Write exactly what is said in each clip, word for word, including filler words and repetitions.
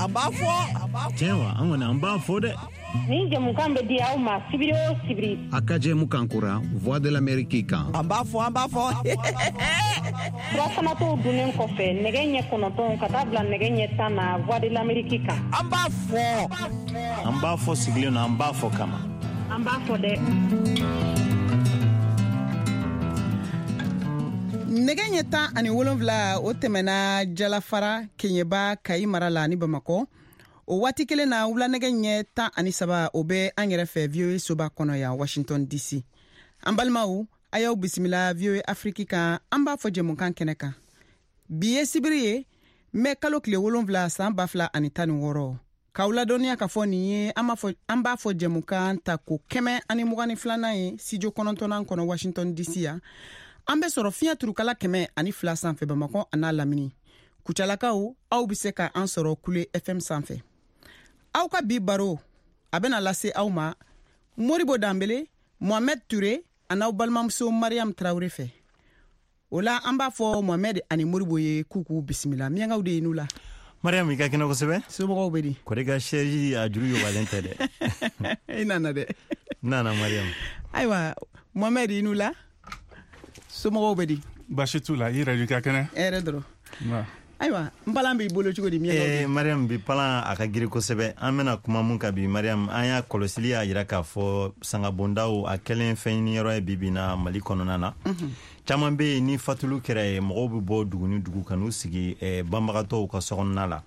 An b'a fɔ. Tiɲɛ wa, an kɔni an b'a fɔ dɛ. Nin jɛmukan bɛ di aw ma sibiri o sibiri. A ka jɛmukan kura Voix de l'Amérique kan. An b'a fɔ, an b'a fɔ. Furafanatɔw dunnen kɔfɛ nɛgɛ ɲɛ kɔnɔntɔn ka taa bila nɛgɛ ɲɛ tan na Voix de l'Amérique kan. An b'a fɔ. An b'a fɔ sigilen don, an b'a fɔ kama. An b'a fɔ dɛ. Nɛgɛ ɲɛ tan ani wolonfila o tɛmɛna Jalafara Keɲeba Kayi mara la ni Bamakɔ. O waati kelen na wula nɛgɛ ɲɛ tan ani saba o bɛ an yɛrɛ fɛ V O A soba kɔnɔ yan Washington D C. An balimaw, a y'aw bisimila V O A Afrique kan, an b'a fɔ jɛmukan kɛnɛ kan. Bi ye sibiri ye, mɛ kalo tile wolonfila san ba fila ani tan ni wɔɔrɔ. K'aw ladɔnniya k'a fɔ nin ye an b'a fɔ an b'a fɔ jɛmukan ta ko kɛmɛ ani mugan ni filanan ye studio kɔnɔntɔnnan kɔnɔ Washington D C yan. An bɛ sɔrɔ fiɲɛ turukala kɛmɛ ani fila sanfɛ Bamakɔ a n'a lamini. Kucalakaw, aw bɛ se ka an sɔrɔ Kule F M sanfɛ. Aw ka bi baro a bɛna lase aw ma Moribo Danbele, Mohamed Touré an'aw balimamuso Mariam Traoré fɛ. O la an b'a fɔ Mohamed ani Moribo ye k'u k'u bisimila. Miyankaw de ye n'u la. Mariam, i ka kɛnɛ kosɛbɛ. Somɔgɔw bɛ di? Kɔri ka sɛji a juru yobalen tɛ dɛ. I nana dɛ. N nana Mariam. Ayiwa Mohamed, i n'u la. Somɔgɔw bɛ di? Baasi t'u la, i yɛrɛ i ka kɛnɛ? Hɛrɛ dɔrɔn. Ayiwa, n palan b'i bolo cogo di? Eh, Mariam, bi palan a ka girin kosɛbɛ. An bɛna kuma mun kan bi Mariam, an y'a kɔlɔsili y'a jira k'a fɔ sangabondaw a kɛlen fɛn ɲiniyɔrɔ ye bi bi na Mali kɔnɔna na. Caman bɛ yen ni fatulu kɛra ye, mɔgɔw bɛ bɔ dugu ni dugu ka n'u sigi eh, banbagatɔw ka sokɔnɔna la.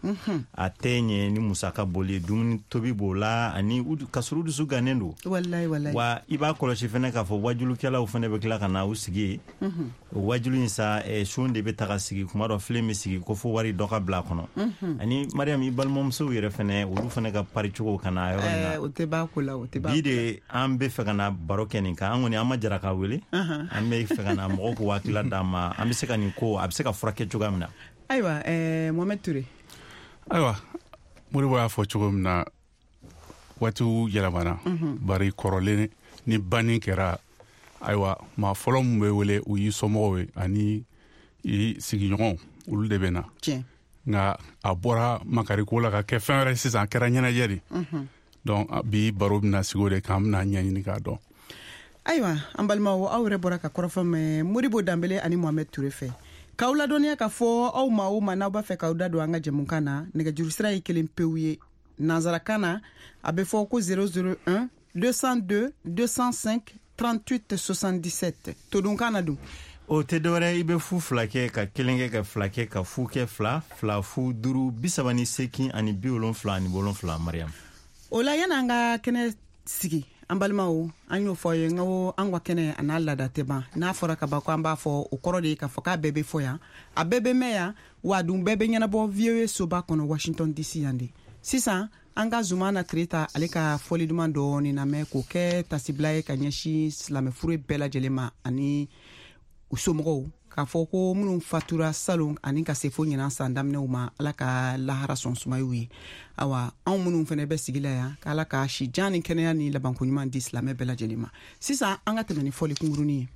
A tɛ ɲɛ ni musaka boli, dumuni tobi b'o la ani ka sɔrɔ u dusu gannen don. Walayi walayi. Wa i b'a kɔlɔsi fɛnɛ k'a fɔ wajulukɛlaw fɛnɛ bɛ tila ka na u sigi yen. O wajulu in sa eh, sun de bɛ taga sigi, kuma dɔ filen bɛ sigi ko fo wari dɔ ka bila a kɔnɔ. Ani Mariam, i balimamusow yɛrɛ fɛnɛ, olu fɛnɛ ka pari cogo ka na yɔrɔ in na. O tɛ ban ko la, o tɛ ban. Bi de an bɛ fɛ ka na baro kɛ nin kan. An kɔni an ma jara k'a wele. An bɛ fɛ ka na mɔgɔw k'u hakilila d'an ma, an bɛ se ka nin ko a bɛ se ka furakɛ cogoya min na. Ayiwa ɛɛ Mohamed Touré. Ayiwa, Moribo y'a fɔ cogo min na, waatiw yɛlɛmana. Bari kɔrɔlen ni banni kɛra, ayiwa maa fɔlɔ min bɛ wele o y'i somɔgɔw ye ani i sigiɲɔgɔnw, olu de bɛ na. Tiɲɛ. Nka a bɔra makariko la ka kɛ fɛn wɛrɛ sisan, a kɛra ɲɛnajɛ de. Donc bi baro bɛna sigi o de kan, an bɛna ɲɛɲini k'a dɔn. Ayiwa an balimaw, aw yɛrɛ bɔra ka kɔrɔfɔ mɛn Moribo Danbele ani Mohamed Touré fɛ. K'aw ladɔnniya k'a fɔ aw ma o ma n'aw b'a fɛ k'aw da don an ka jɛmukan na, nɛgɛjuru sira ye kelen pewu ye. Nanzarakan na a bɛ fɔ ko zéro zéro un deux cent deux deux cent cinq trente-huit soixante-dix-sept. Todunkan na dun? O tɛ dɔwɛrɛ, i bɛ fu fila kɛ ka kelen kɛ ka fila kɛ ka fu kɛ fila fila fu duuru bi saba ni seegin ani bi wolonfila ani wolonfila Mariam. O la yan'an ka kɛnɛ sigi, an balimaw, an y'o fɔ aw ye n ko an ka kɛnɛ a n'a laada tɛ ban. N'a fɔra ka ban ko an b'a fɔ, o kɔrɔ de ye k'a fɔ k'a bɛɛ bɛ fɔ yan, a bɛɛ bɛ mɛn yan, wa a dun bɛɛ bɛ ɲɛnabɔ V O A soba kɔnɔ Washington D C yan de. Sisan an ka Zumana Tereta ale ka fɔli duman dɔɔni lamɛn k'o kɛ tasibila ye ka ɲɛsin silamɛfuru bɛɛ lajɛlen ma ani u somɔgɔw, k'a fɔ ko minnu fatura salon ani ka se fo ɲinan san daminɛw ma, Ala ka lahara sɔn sumayiw ye. Awa anw minnu fɛnɛ bɛ sigi la yan, k'Ala ka si jan ni kɛnɛya ni labanko ɲuman di silamɛ bɛɛ lajɛlen ma. Sisan an ka tɛmɛ ni fɔli kunkurunin ye.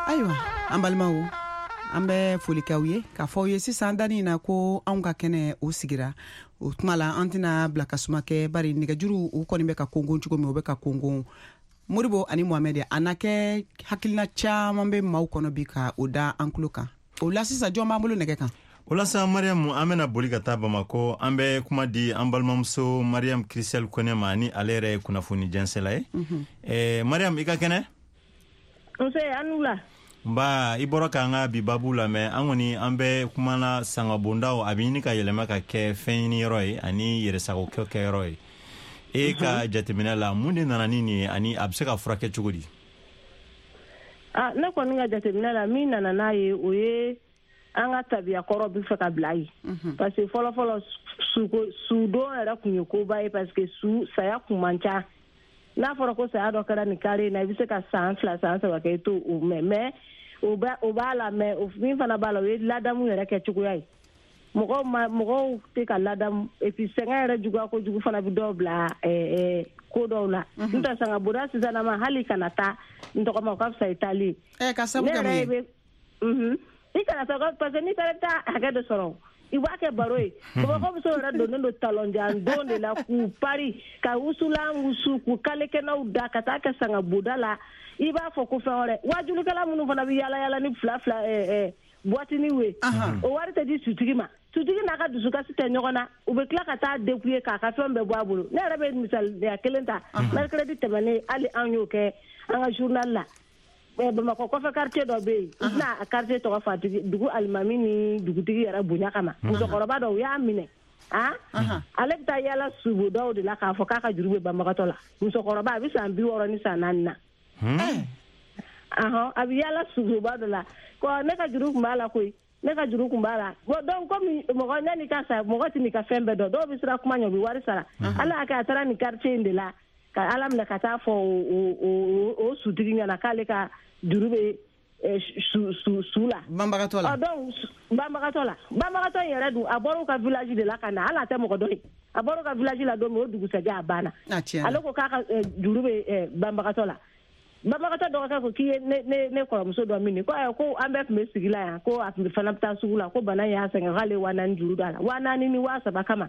Ayiwa an balimaw, An bɛ foli k'aw ye k'a fɔ aw ye sisan danni na ko anw ka kɛnɛ o sigira o tuma la an tɛna bila ka suma kɛ bari nɛgɛjuru u kɔni bɛ ka kongon cogo min o bɛ ka kongon. Modibo ani Mohamed, a na kɛ hakilina caman bɛ maaw kɔnɔ bi ka o da an tulo kan. O la sisan jɔn b'an bolo nɛgɛ kan? O la sa Mariam, an bɛna boli ka taa Bamakɔ. An bɛ kuma di an balimamuso Mariam Christelle Kone ma, ni ale yɛrɛ ye kunnafoni jɛnsɛla ye. Eh, Mariam, i ka kɛnɛ? Nse, an wula. Nba, i bɔra k'an ka bi babu lamɛn. An kɔni an bɛ kumana sangabondaw a bɛ ɲini ka yɛlɛma ka kɛ fɛn ɲini yɔrɔ ye ani yɛrɛsagokɛ kɛyɔrɔ ye. E ka jateminɛ la, mun de nana ni nin ye ani a bɛ se ka furakɛ cogo di? Ah, ne kɔni ka jateminɛ la, min nana n'a ye, o ye an ka tabiya kɔrɔ bɛ fɛ ka bila yen. Parce que fɔlɔ fɔlɔ sudon yɛrɛ tun ye koba ye, parce que su saya kun man ca. N'a fɔra ko saya dɔ kɛra nin kare in na, i bɛ se ka san fila san saba kɛ i t'o mɛn. Mais o b'a la, mais min fana b'a la, o ye ladamu yɛrɛ kɛ cogoya ye. Mɔgɔw ma mɔgɔw tɛ ka ladamu, et puis sɛgɛn yɛrɛ juguya kojugu fana bɛ dɔw bila ko dɔw la. N'o tɛ sangaboda sisan ma, hali kana taa n tɔgɔ ma, o ka fisa i taali ye. Ka sabu kɛ mun ye? I kana taa, parce que n'i taara i bɛ taa hakɛ dɔ sɔrɔ, i b'a kɛ baro ye. Bamakɔ musow yɛrɛ donnen don talonjan don de la k'u pari ka wusulan wusu k'u kalekɛnɛw da ka taa kɛ sangaboda la. I b'a fɔ ko fɛn wɛrɛ. Wajulikɛla minnu fana bɛ yala yala ni fila fila boîte ye, o wari tɛ di sutigi ma. Sutigi n'a ka dusukasi tɛ ɲɔgɔn na, u bɛ tila ka taa dépouiller k'a ka fɛn bɛɛ bɔ a bolo. Ne yɛrɛ bɛ misaliya kelen ta, mercredi tɛmɛnen, hali an y'o kɛ an ka journal la. Bamakɔ kɔfɛ quartier dɔ bɛ yen, n tɛna a quartier tɔgɔ fɔ, a tigi dugu alimami ni dugutigi yɛrɛ bonya kama. Musokɔrɔba dɔ, u y'a minɛ, ale bɛ taa yala subodaw de la k'a fɔ k'a ka juru bɛ banbagatɔ la. Musokɔrɔba a bɛ san bi wɔɔrɔ ni san naani na. A bɛ yala suboba dɔ la ko ne ka juru tun b'a la koyi, ne ka juru tun b'a la. Bon donc komi mɔgɔ yanni ka sa, mɔgɔ tɛ n'i ka fɛn bɛɛ dɔn, dɔw bɛ siran kuma ɲɛ, u bɛ wari sara. Ala y'a kɛ a taara nin quartier in de la ka Ala minɛ ka taa fɔ o o sutigi ɲɛna k'ale ka juru bɛ su su su la. Banbagatɔ la. Donc banbagatɔ la, banbagatɔ in yɛrɛ dun, a bɔra u ka village de la ka na, hali a tɛ mɔgɔ dɔn ye. A bɔra u ka village la don min, o dugusɛjɛ a banna. Ale ko k'a ka juru bɛ banbagatɔ la. Banbagatɔ dɔgɔkɛ ko k'i ye ne ne ne kɔrɔmuso dɔ min ko ayiwa, ko an bɛɛ tun bɛ sigi la yan, ko a tun fana bɛ taa sugu la, ko bana y'a sɛgɛn, k'ale ye waa naani juru don a la, waa naani ni waa saba kama.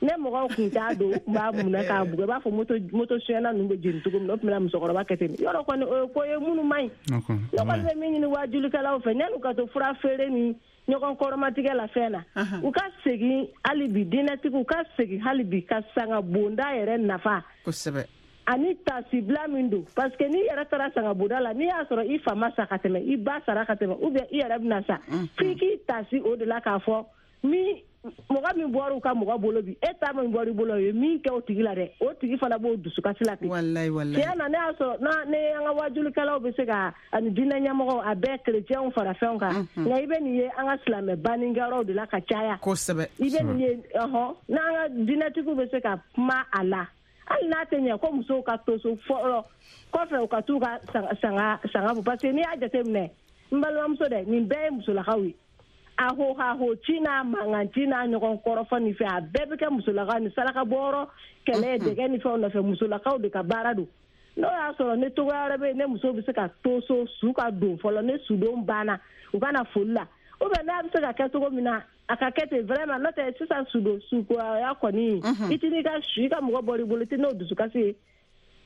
Ne mɔgɔw tun t'a don, u tun b'a minɛ k'a bugɔ, i b'a fɔ moto moto suyɛnna ninnu bɛ jeni cogo min na, o tun bɛna musokɔrɔba kɛ ten. Yɔrɔ kɔni o ye ko ye minnu man ɲi. Ne kɔni bɛ min ɲini wajulikɛlaw fɛ, yan'u ka to fura feere ni ɲɔgɔn kɔrɔmatigɛ la fɛn na, u ka segin hali bi, diinɛtigiw ka segin hali bi ka sangabonda yɛrɛ nafa. Kosɛbɛ. Ani tasibila min don, parce que n'i yɛrɛ taara sangaboda la, n'i y'a sɔrɔ i fa ma sa ka tɛmɛ, i ba sara ka tɛmɛ, ou bien i yɛrɛ bɛna sa, f'i k'i tasi o de la k'a fɔ min mɔgɔ min bɔra u ka mɔgɔ bolo bi, e ta min bɔra i bolo, o ye min kɛ o tigi la dɛ, o tigi fana b'o dusukasi la ten. Walayi walayi. Tiɲɛ na, ne y'a sɔrɔ n'a ne an ka wajulikɛlaw bɛ se ka ani diinɛ ɲɛmɔgɔw a bɛɛ kerecɛnw fara fɛnw kan, nka i bɛ nin ye an ka silamɛ bannikɛyɔrɔw de la ka caya. Kosɛbɛ. I bɛ nin ye, ɔhɔn, n'an ka diinɛtigiw bɛ se ka kuma a la, hali n'a tɛ ɲɛ ko musow ka to so fɔlɔ kɔfɛ u ka t'u ka sanga sanga bɔ, parce que n'i y'a jateminɛ, n balimamuso dɛ, nin bɛɛ ye musolakaw ye. A ho ha ho ci n'a mankan ci n'a ɲɔgɔn kɔrɔfɔ nin fɛ, a bɛɛ bɛ kɛ musolakaw ni saraka bɔyɔrɔ kɛlɛ dɛgɛ ni fɛnw nɔfɛ, musolakaw de ka baara don. N'o y'a sɔrɔ ne togoya wɛrɛ bɛ yen, ne muso bɛ se ka to so su ka don fɔlɔ, ne sudon banna u ka na foli la, ou bien n'a bɛ se ka kɛ cogo min na a ka kɛ ten vraiment. N'o tɛ sisan sudon sukoya kɔni, i tɛ n'i ka su i ka mɔgɔ bɔr'i bolo, i tɛ n'o dusukasi ye.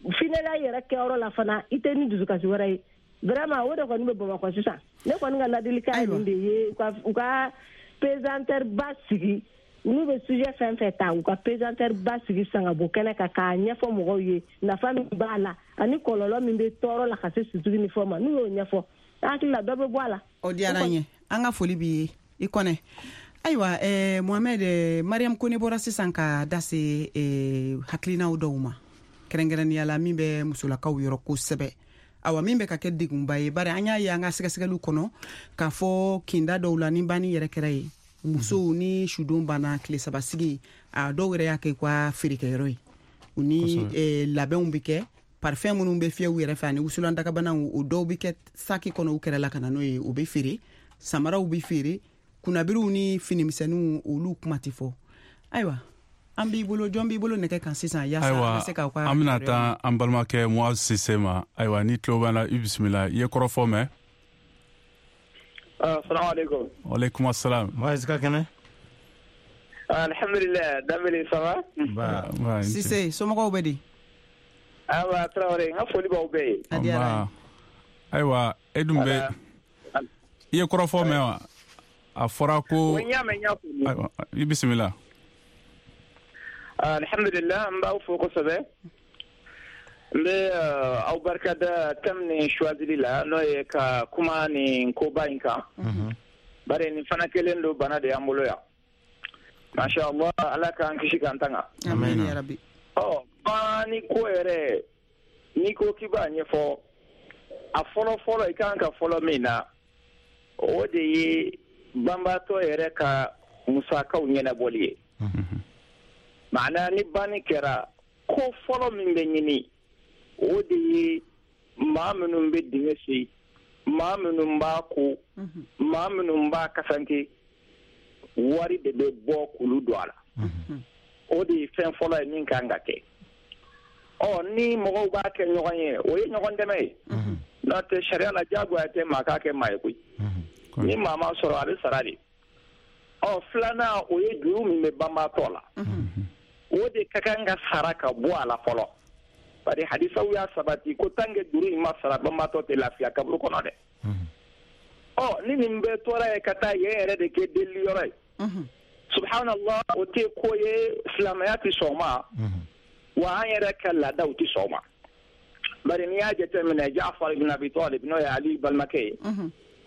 Finɛla yɛrɛ kɛyɔrɔ la fana, i tɛ ni dusukasi wɛrɛ ye. Vraiment o de kɔni bɛ Bamakɔ sisan. Ne kɔni ka ladilikan ye nin de ye, u ka u ka pesanteur ba sigi, n'u bɛ sujet fɛn fɛn ta, u ka pesanteur ba sigi sangabo kɛnɛ kan k'a ɲɛfɔ mɔgɔw ye nafa min b'a la ani kɔlɔlɔ min bɛ tɔɔrɔ la ka se sutigi ni fɛnw ma. N'u y'o ɲɛfɔ, n hakili la dɔ bɛ bɔ a la. O diyara n ye, an ka foli b'i ye i Kɔnɛ. Ayiwa, eh, Mohamed, eh, Mariam Kone bɔra sisan ka da se eh, hakilinaw dɔw ma, kɛrɛnkɛrɛnnenya la min bɛ musolakaw yɔrɔ kosɛbɛ. Awa, min bɛ ka kɛ degunba ye, bari an y'a ye an ka sɛgɛsɛgɛliw kɔnɔ k'a fɔ kinda dɔw la ni banni yɛrɛ kɛra ye, musow ni sudon banna tile saba sigi, a dɔw yɛrɛ y'a kɛ u ka feerekɛyɔrɔ ye, u ni eh, labɛnw bɛ kɛ, parfum minnu bɛ fiyɛ u yɛrɛ fɛ ani wusulan dagabanaw, o dɔw bɛ kɛ saki kɔnɔ u kɛrɛ la ka na n'o ye, o bɛ feere, samaraw bɛ feere, kunnabiriw ni finimisɛnninw olu kuma tɛ fɔ. Ayiwa, an b'i bolo, jɔn b'i bolo nɛgɛ kan sisan yaasa an bɛ se k'aw ka an bɛna taa an balimakɛ Muaz Sise ma. Ayiwa, ni tulo b'an na, i bisimila. I ye kɔrɔfɔ mɛn? Assalamu alaikum. Wa alaikum assalam. Moise ka kɛnɛ? Alhamdulillah, Dambele, ça va? Ba. Sise, somɔgɔw bɛ di? Awa, Traoré, n ka foli b'aw bɛɛ ye. A diyara n ye. Ayiwa, e dun bɛ i ye kɔrɔfɔ mɛn wa? A fɔra ko. N y'a mɛn, n y'a faamu. Ayiwa, i bisimila. Alhamdulillah, n b'aw fo kosɛbɛ. N bɛ aw barika da thème nin choisili la, n'o ye ka kuma nin koba in kan. Bari nin fana kelen don, bana de y'an bolo yan. Masha Allah, Ala k'an kisi k'an tanga. Amin ya Rabbi. Ɔ, banni ko yɛrɛ, n'i ko k'i b'a ɲɛfɔ, a fɔlɔ fɔlɔ i kan ka fɔlɔ min na, o de ye banbaatɔ yɛrɛ ka musakaw ɲɛnabɔli ye. Maana ni banni kɛra, ko fɔlɔ min bɛ ɲini, o de ye maa minnu bɛ dingɛ sen, maa minnu b'a ko, maa minnu b'a kasanke, wari de bɛ bɔ k'olu don a la. O de ye fɛn fɔlɔ ye min kan ka kɛ. Ɔ, ni mɔgɔw b'a kɛ ɲɔgɔn ye, o ye ɲɔgɔn dɛmɛ ye. N'o tɛ, sariya la diyagoya tɛ maa k'a kɛ maa ye koyi. Ni maa ma sɔrɔ, a bɛ sara de. Ɔ, filanan, o ye juru min bɛ banbaatɔ la, o de ka kan ka sara ka bɔ a la fɔlɔ. Bari hadisaw y'a sabati ko tant que juru in ma sara, banbaatɔ tɛ lafiya kaburu kɔnɔ dɛ. Ɔ, ni nin bɛɛ tora ye ka taa yen yɛrɛ de kɛ delili yɔrɔ ye. Subhanallah, o tɛ ko ye, silamɛya tɛ sɔn ma, wa an yɛrɛ ka laadaw tɛ sɔn ma. Bari n'i y'a jateminɛ, Jaafar ibn Abi Talib, n'o ye Ali balimakɛ ye,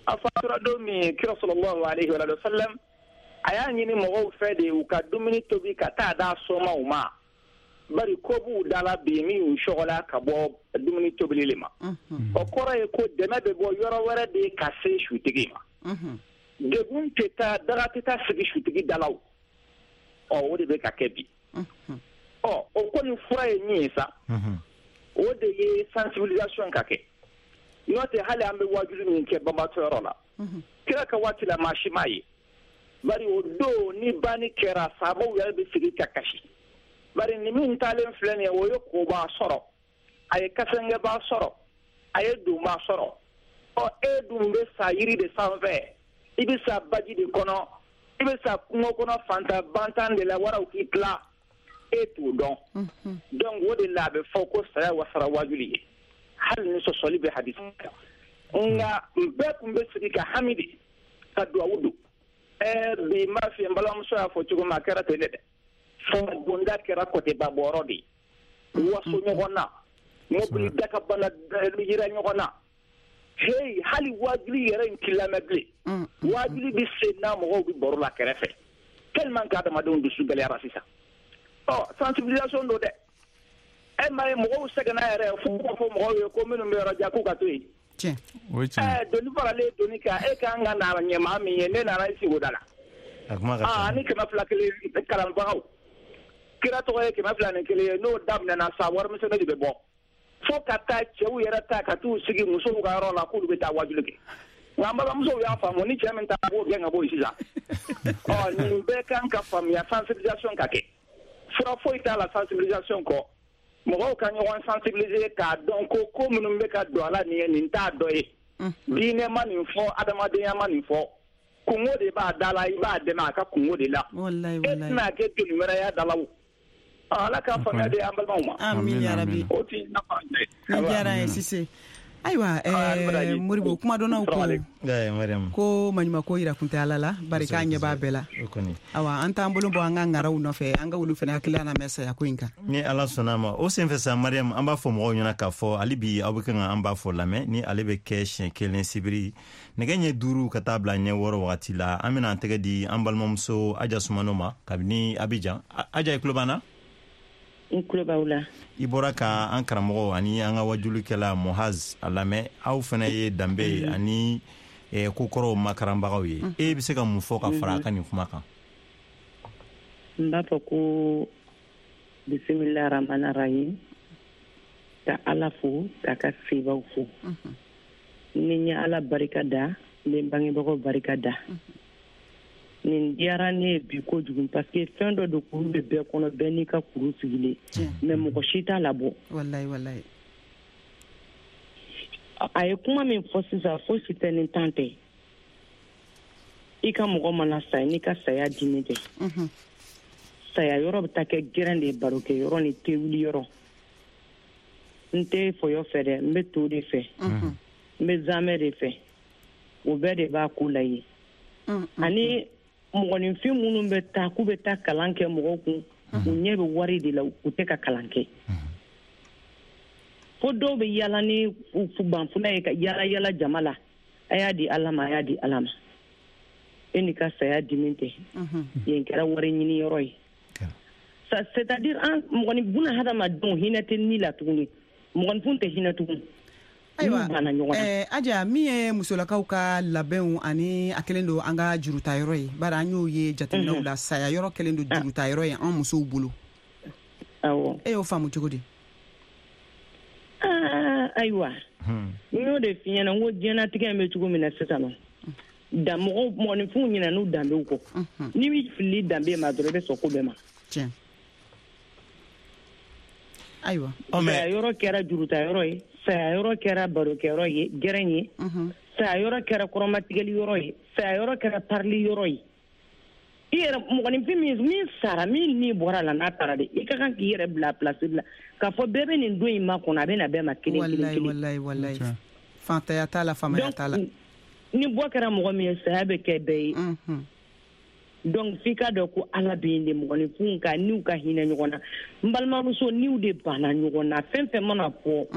a fatura don min, kira sallallahu alaihi wa sallam a y'a ɲini mɔgɔw fɛ de u ka dumuni tobi ka taa d'a somaw ma. Bari ko b'u da la bi min y'u sɔgɔla ka bɔ dumuni tobili le ma. O kɔrɔ ye ko dɛmɛ bɛ bɔ yɔrɔ wɛrɛ de ka se sutigi ma. Degun tɛ taa, daga tɛ taa sigi sutigi da la o. Ɔ, o de bɛ ka kɛ bi. Ɔ, o kɔni fura ye min ye sa, o de ye sensibilisation ka kɛ. N'o tɛ, hali an bɛ wajuli min kɛ banbaatɔ yɔrɔ la, kira ka waati la, maa si m'a ye. Bari o don ni banni kɛra, sabaw yɛrɛ bɛ sigi ka kasi. Bari ni min taalen filɛ nin ye, o ye koba sɔrɔ, a ye kasankɛba sɔrɔ, a ye donba sɔrɔ. Ɔ, e dun bɛ sa yiri de sanfɛ, i bɛ sa baji de kɔnɔ, i bɛ sa kungo kɔnɔ fantan bantan de la, waraw k'i tila, e t'o dɔn. Donc o de la a bɛ fɔ ko saya wasara wajuli ye, hali ni sɔsɔli bɛ hadisi kan. Nka bɛɛ tun bɛ sigi ka hami de ka duwawu don. Ɛɛ, bi n b'a f'i ye, n balimamuso y'a fɔ cogo min, a kɛra ten de dɛ. Bonda kɛra kɔtɛba bɔyɔrɔ de ye. Waso ɲɔgɔn na, mobili dakabana yira ɲɔgɔn na. Hey, hali wajuli yɛrɛ in t'i lamɛn bilen. Wajuli bɛ sen na, mɔgɔw bɛ baro la kɛrɛfɛ. Tellement que adamadenw dusu gɛlɛyara sisan. Ɔ, sensibilisation don dɛ. E m'a ye, mɔgɔw sɛgɛnna yɛrɛ fo k'o fɔ mɔgɔw ye ko minnu bɛ yɔrɔ jan k'u ka to yen. Tiɲɛ. O ye tiɲɛ. Ɛɛ, doni faralen doni kan, e kan ka na ɲɛ maa min ye, ne nana i sigi o da la. A kuma ka ca. Aa, ni kɛmɛ fila kelen kalanbagaw. Kira tɔgɔ ye kɛmɛ fila ni kelen ye, n'o daminɛna sa, warimisɛnnin de bɛ bɔ. Fo ka taa cɛw yɛrɛ ta ka t'u sigi musow ka yɔrɔ la k'olu bɛ taa wajuli kɛ. Nka an balimamusow y'a faamu, ni cɛ min ta, a b'o gɛn ka bɔ yen sisan. Ɔ, nin bɛɛ kan ka faamuya, sensibilisation ka kɛ. Fura foyi t'a la sensibilisation kɔ. Mɔgɔw ka ɲɔgɔn sensibiliser k'a dɔn ko ko minnu bɛ ka don a la nin ye, nin t'a dɔ ye. Diinɛ ma nin fɔ, adamadenya ma nin fɔ. Kungo de b'a da la, i b'a dɛmɛ a ka kungo de la. Wallahi, E wallahi. tɛna kɛ doni wɛrɛ y'a da la o. Ala k'a faamuya di an balimaw ma. Amin ya Rabbi. O ti nafa ye. Ni diyara n ye, Sise. Ayiwa, ɛɛ, Moribo, kumadɔnnaw ko Eh, Mariam. ko maɲumako yira kun tɛ Ala la, bari k'a ɲɛ b'a bɛɛ la. O kɔni. Awa, an t'an bolo bɔ an ka ŋaraw nɔfɛ, an ka olu fana hakilila lamɛn saya ko in kan. Ni Ala sɔnna a ma, o senfɛ sa, Mariam, an b'a fɔ mɔgɔw ɲɛna k'a fɔ hali bi aw bɛ kan ka an b'a fɔ lamɛn ni ale bɛ kɛ siɲɛ kelen sibiri nɛgɛ ɲɛ duuru ka taa bila ɲɛ wɔɔrɔ wagati la. An bɛna an tɛgɛ di an balimamuso Aja Sumano ma kabini Abijan. Aja, i tulo b'an na? N tulo b'aw la. I bɔra ka an karamɔgɔ ani an ka wajulikɛla Mohaz a lamɛn. Aw fana ye danbe ye ani kokɔrɔw makaranbagaw ye. E bɛ se ka mun fɔ ka fara a ka nin kuma kan? N b'a fɔ ko bisimila rahmani rahim, ka Ala fo, k'a ka sebaw fo. Ni n ye Ala barika da, n bɛ n bangebagaw barika da. Nin diyara ne ye bi kojugu parce que fɛn dɔ de kuru bɛ bɛɛ kɔnɔ, bɛɛ n'i ka kuru sigilen, mais mɔgɔ si t'a labɔ. Wallahi, wallahi. A ye kuma min fɔ sisan, fosi tɛ ni tan tɛ. I ka mɔgɔ mana sa n'i ka saya dimi tɛ. Saya yɔrɔ bɛ taa kɛ gɛrɛn de ye, barokɛ yɔrɔ ni tewuli yɔrɔ. N tɛ fɔyɔ fɛ dɛ, n bɛ to de fɛ. N bɛ zamɛ de fɛ. O bɛɛ de b'a ko la ye. Ani mɔgɔninfin minnu bɛ taa k'u bɛ taa kalan kɛ mɔgɔw kun, u ɲɛ bɛ wari de la, u tɛ ka kalan kɛ. Fo dɔw bɛ yala ni banfula ye ka yala yala jama la. A y'a di Ala ma, a y'a di Ala ma. E n'i ka saya dimi tɛ. Yen kɛra wari ɲini yɔrɔ ye. C'est-à-dire an mɔgɔnin buna hadamadenw hinɛ tɛ ni la tuguni. Mɔgɔninfin tɛ hinɛ tuguni. Ayiwa, eh, Aja, min ye musolakaw ka labɛnw ani a kɛlen don an ka jurutayɔrɔ ye, bari an y'o ye jateminɛw la, saya yɔrɔ kɛlen don jurutayɔrɔ ye an musow bolo. Awɔ. E y'o faamu cogo di? Aa, ayiwa. N y'o de f'i ɲɛna, n ko diɲɛnatigɛ in bɛ cogo min na sisan nɔ, da mɔgɔw mɔgɔninfinw ɲinɛ n'u danbew kɔ. N'i b'i fili danbe ma dɔrɔn, i bɛ sɔn ko bɛɛ ma. Tiɲɛ. Ayiwa. Saya yɔrɔ kɛra jurutayɔrɔ ye, saya yɔrɔ kɛra barokɛyɔrɔ ye, gɛrɛn ye, saya yɔrɔ kɛra kɔrɔmatigɛli yɔrɔ ye, saya yɔrɔ kɛra parili yɔrɔ ye. I yɛrɛ mɔgɔninfin min min sara, min ni bɔra la n'a taara de, i ka kan k'i yɛrɛ bila place la k'a fɔ bɛɛ bɛ nin don in ma kɔnɔ, a bɛ na bɛɛ ma kelen kelen kelen. Walayi walayi walayi. Fantanya t'a la, faamaya t'a la. Ni bɔ kɛra mɔgɔ min ye, saya bɛ kɛ bɛɛ ye. Donc f'i ka dɔn ko Ala bɛ yen de, mɔgɔninfinw ka niw ka hinɛ ɲɔgɔn na. N balimamuso, niw de banna ɲɔgɔn na. Fɛn fɛn mana fɔ,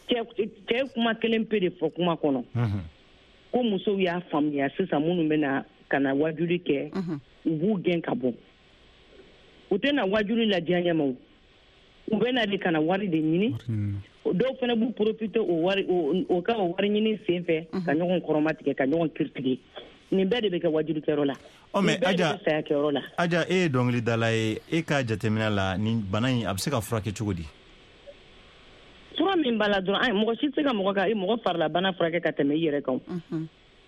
cɛ cɛ kuma kelen pe de fɔ kuma kɔnɔ. Ko musow y'a faamuya sisan, minnu bɛ na ka na wajuli kɛ, u b'u gɛn ka bɔ. U tɛ na wajuli la diɲɛ ma o. U bɛ na de ka na wari de ɲini. Dɔw fana b'u profiter o wari o ka o wari ɲini sen fɛ ka ɲɔgɔn kɔrɔmatigɛ, ka ɲɔgɔn kiritigɛ. Nin bɛɛ de bɛ kɛ wajulikɛyɔrɔ la. Ɔ mais Aja, Aja, e ye dɔnkilidala ye, e ka jateminɛ la nin bana in a bɛ se ka furakɛ cogo di? Fura min b'a la dɔrɔn, ayi, mɔgɔ si tɛ se ka mɔgɔ ka mɔgɔ farilabana furakɛ ka tɛmɛ i yɛrɛ kan.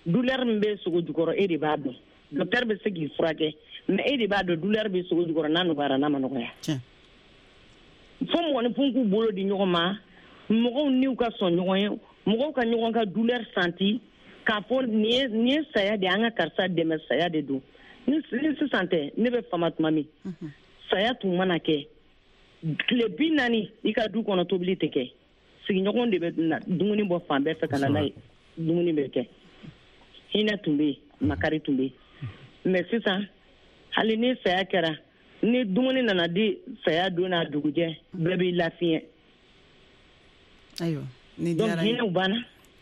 Douleur min bɛ sogo jukɔrɔ, e de b'a dɔn. Docteur bɛ se k'i furakɛ, mais e de b'a dɔn douleur bɛ sogo jukɔrɔ n'a nɔgɔyara n'a ma nɔgɔya. Fo mɔgɔninfin k'u bolo di ɲɔgɔn ma, mɔgɔw niw ka sɔn ɲɔgɔn ye, mɔgɔw ka ɲɔgɔn ka douleur santi k'a fɔ nin ye nin ye saya de ye, an ka karisa dɛmɛ, saya de don. Ni sisan tɛ, ne bɛ fama tuma min, saya tun mana kɛ tile bi naani i ka du kɔnɔ tobili tɛ kɛ, sigiɲɔgɔnw de bɛ na dumuni bɔ fan bɛɛ fɛ ka na n'a ye, dumuni bɛ kɛ. Hinɛ tun bɛ yen, makari tun bɛ yen. Mais sisan hali ni saya kɛra, ni dumuni nana di saya don n'a dugujɛ, bɛɛ b'i lafiɲɛ. Ayiwa, ni diyara n ye. Donc hinɛw banna.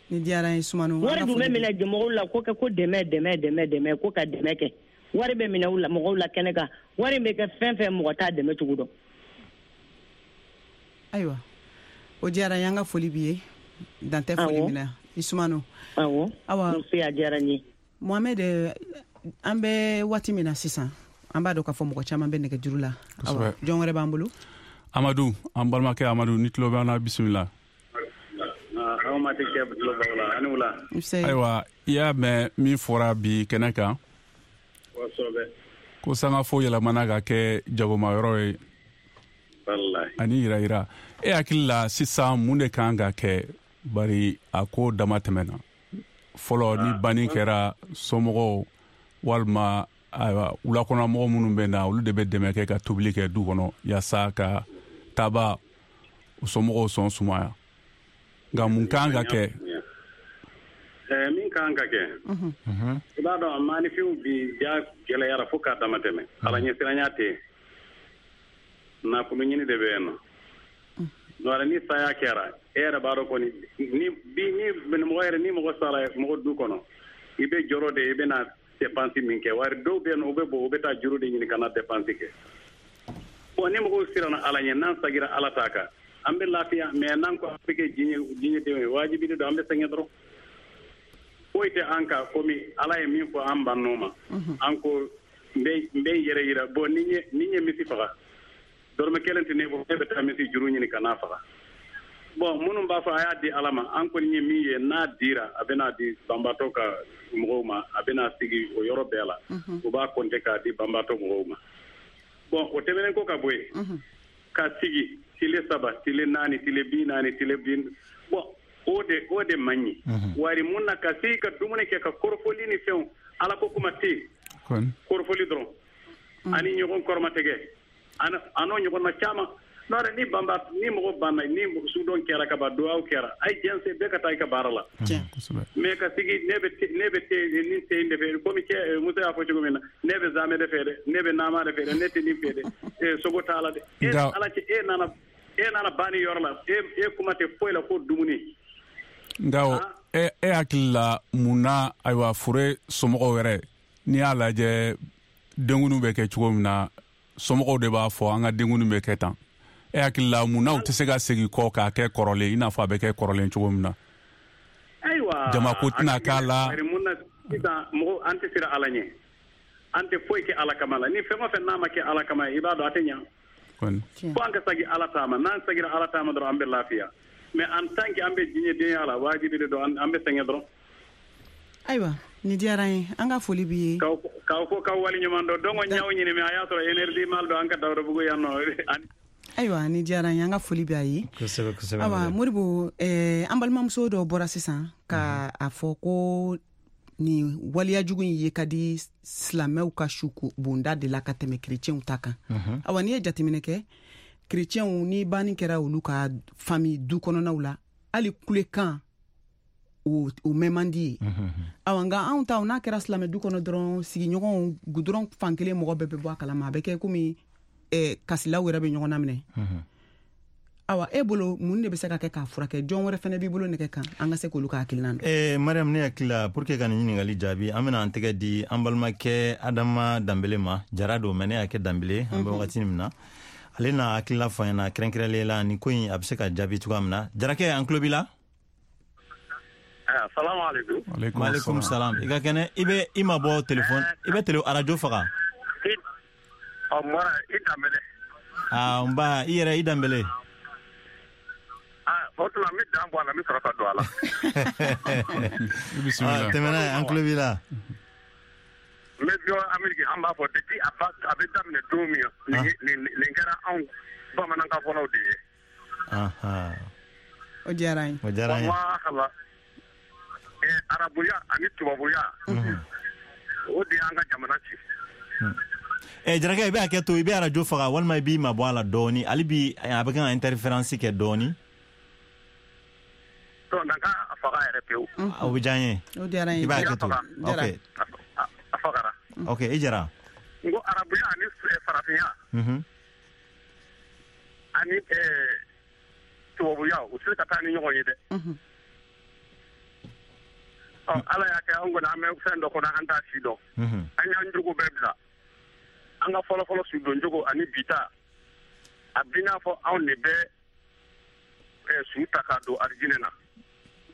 Ni diyara n ye Sumano. Wari dun bɛ minɛ mɔgɔw la ko kɛ ko dɛmɛ dɛmɛ dɛmɛ dɛmɛ ko ka dɛmɛ kɛ. Wari bɛ minɛ mɔgɔw la kɛnɛ kan, wari bɛ kɛ fɛn fɛn mɔgɔ t'a dɛmɛ cogo dɔn. Ayiwa, o diyara n ye, an ka foli b'i ye. Dan tɛ foli min na. I Sumano. Awɔ. Awa. Nse, a diyara n ye. Mohamed, an bɛ waati min na sisan, an b'a dɔn k'a fɔ mɔgɔ caman bɛ nɛgɛjuru la. Awa, jɔn wɛrɛ b'an bolo? Amadu, an balimakɛ Amadu, ni tulo b'an na, bisimila. Ayiwa, i y'a mɛn min fɔra bi kɛnɛ kan, ko sangafo yɛlɛmana ka kɛ jagomayɔrɔ ye ani yira-yira. E hakili la sisan mun de kan ka kɛ, bari a ko dama tɛmɛna? Fɔlɔ ni banni kɛra, somɔgɔw walima ayiwa wulakɔnɔmɔgɔ minnu bɛ na, olu de bɛ dɛmɛ kɛ ka tobili kɛ du kɔnɔ yaasa ka taaba u somɔgɔw sɔn sumaya. Nka mun kan ka kɛ? Min kan ka kɛ, i b'a dɔn maanifinw bi ja gɛlɛyara fo k'a dama tɛmɛ. Ala ɲɛsiranya tɛ yen, nafolo ɲini de bɛ yen nɔ. N'o ni saya kɛra, e yɛrɛ b'a dɔn kɔni, ni bi ni mɔgɔ yɛrɛ ni mɔgɔ sara mɔgɔ du kɔnɔ, i bɛ jɔrɔ de, i bɛna dépense min kɛ. Wari dɔw bɛ yen nɔ, u bɛ bɔ, u bɛ taa juru de ɲini ka na dépense kɛ. Bon, ni mɔgɔw siranna Ala ɲɛ, n'an sagira Ala ta kan, an bɛ lafiya. Mais n'an ko an bɛ kɛ diɲɛ diɲɛdenw ye, wajibi de don, an bɛ sɛgɛn dɔrɔn. Foyi tɛ an kan komi Ala ye min fɔ an bann'o ma. An ko n bɛ n bɛ n yɛrɛ yira. Bon, ni n ye ni n ye misi faga, dɔrɔmɛ kelen tɛ ne bolo, ne bɛ taa misi juru ɲini ka n'a faga. Bon, minnu b'a fɔ a y'a di Ala ma, an kɔni ye min ye, n'a dira, a bɛna di banbaatɔ ka mɔgɔw ma, a bɛna sigi o yɔrɔ bɛɛ la, u b'a compter k'a di banbaatɔ mɔgɔw ma. Bon, o tɛmɛnen ko ka bɔ yen, ka sigi tile saba, tile naani, tile bi naani, tile bi, bon, o de o de man ɲi. Wari mun na ka sigi ka dumuni kɛ ka kɔrɔfɔli ni fɛnw, Ala ko kuma tɛ yen. Kɔrɔfɔli dɔrɔn. Ani ɲɔgɔn kɔrɔmatigɛ. An'o ɲɔgɔnna caman. N'o tɛ ni banba ni mɔgɔ banna ni sudon kɛra ka ban duwawu kɛra a ye diɲɛ bɛɛ ka taa i ka baara la. Mais ka sigi ne bɛ ne bɛ te ni te in de fɛ komi cɛ muso y'a fɔ cogo min na ne bɛ zamɛ de fɛ dɛ ne bɛ nama de fɛ dɛ ne tɛ nin fɛ dɛ sogo t'a la dɛ. E ala cɛ e nana e nana banni yɔrɔ la e e kuma tɛ foyi la ko dumuni. Nka e e hakili la mun na ayiwa fure somɔgɔw yɛrɛ n'i y'a lajɛ denkundiw bɛ kɛ cogo min na somɔgɔw de b'a fɔ an ka denkundiw bɛ kɛ tan. E hakili la mun na u tɛ se ka segin kɔ k'a kɛ kɔrɔlen i n'a fɔ a bɛ kɛ kɔrɔlen cogo min na. Ayiwa jamako tɛna k'a la. Mun na sisan mɔgɔ an tɛ siran Ala ɲɛ an tɛ foyi kɛ Ala kama la ni fɛn o fɛn n'a ma kɛ Ala kama i b'a dɔn a tɛ ɲɛ. Fo an ka segin Ala ta ma n'an seginna Ala ta ma dɔrɔn an bɛ lafiya mais en tant que an bɛ diɲɛdenya la wajibi de don an bɛ sɛgɛn dɔrɔn. Ayiwa ni diyara an ye an ka foli b'i ye. K'aw fo k'aw waleɲuman dɔn donc n y'aw ɲini mais a y'a sɔrɔ énergie mal don an ka Dawudabugu yan nɔ. Ayiwa ni diyara an ye an ka foli b'a ye. Kosɛbɛ kosɛbɛ. Ayiwa Modibo eh, an balimamuso dɔ bɔra sisan ka a fɔ ko nin waleyajugu in ye ka di silamɛw ka su bonda de la ka tɛmɛ kerecɛnw ta kan. Ayiwa n'i ye jateminɛ kɛ kerecɛnw ni banni kɛra olu ka famille du kɔnɔnaw la hali kulekan o o mɛn man di ye. Ayiwa nka anw ta n'a kɛra silamɛ du kɔnɔ dɔrɔn sigiɲɔgɔnw gudɔrɔn fankelen mɔgɔ bɛɛ bɛ bɔ a kalama a bɛ kɛ komi eh, kasilaw yɛrɛ bɛ ɲɔgɔn na minɛ. Awa e bolo mun de bɛ se ka kɛ k'a furakɛ jɔn wɛrɛ fana b'i bolo nɛgɛ kan an ka se k'olu ka hakilina dɔn. Eh, Mariam ne hakili la pour que ka nin ɲininkali jaabi an bɛna an tɛgɛ di an balimakɛ Adama Danbele ma Jara don mais ne y'a kɛ Danbele an bɛ wagati min na ale n'a hakilila fɔ an ɲɛna kɛrɛnkɛrɛnlen la nin ko in a bɛ se ka jaabi cogoya min na. Jarakɛ an tulo b'i la. Salamu aleykum. Waaleykum salam. I ka kɛnɛ i bɛ i ma bɔ téléphone i bɛ télé arajo faga. Ɔ n bɔra i Danbele. Aa nba i yɛrɛ i Danbele. Aa o tuma n bɛ dan bɔ a la n bɛ sɔrɔ ka don a la. Bisimila. Tɛmɛ n'a ye an tulo b'i la. N bɛ bɔ Amérique an b'a fɔ depuis a ba a bɛ daminɛ don min nin nin kɛra anw bamanankan fɔlaw de ye. O diyara an ye. O diyara an ye. Walahi arabuya ani tubabuya o de y'an ka jamana ci. Eh, Jarakɛ i bɛ hakɛ to i bɛ arajo faga walima i b'i mabɔ a la dɔɔni hali bi a bɛ kan ka interférence kɛ dɔɔni. Donc n ka a faga yɛrɛ pewu. O bɛ diya n ye. O diyara n ye. I b'a hakɛ to. Ok. A fagara. Ok i Jara. N ko arabuya ani farafinya. Ani tubabuya u tɛ se ka taa ni ɲɔgɔn ye dɛ. Ɔ Ala y'a kɛ an kɔni an bɛ fɛn dɔ kɔnɔ an t'a si dɔn. An y'an jogo bɛɛ bila. An ka fɔlɔfɔlɔ sudonjogo ani bi ta a bi n'a fɔ anw de bɛ su ta k'a don arijinɛ na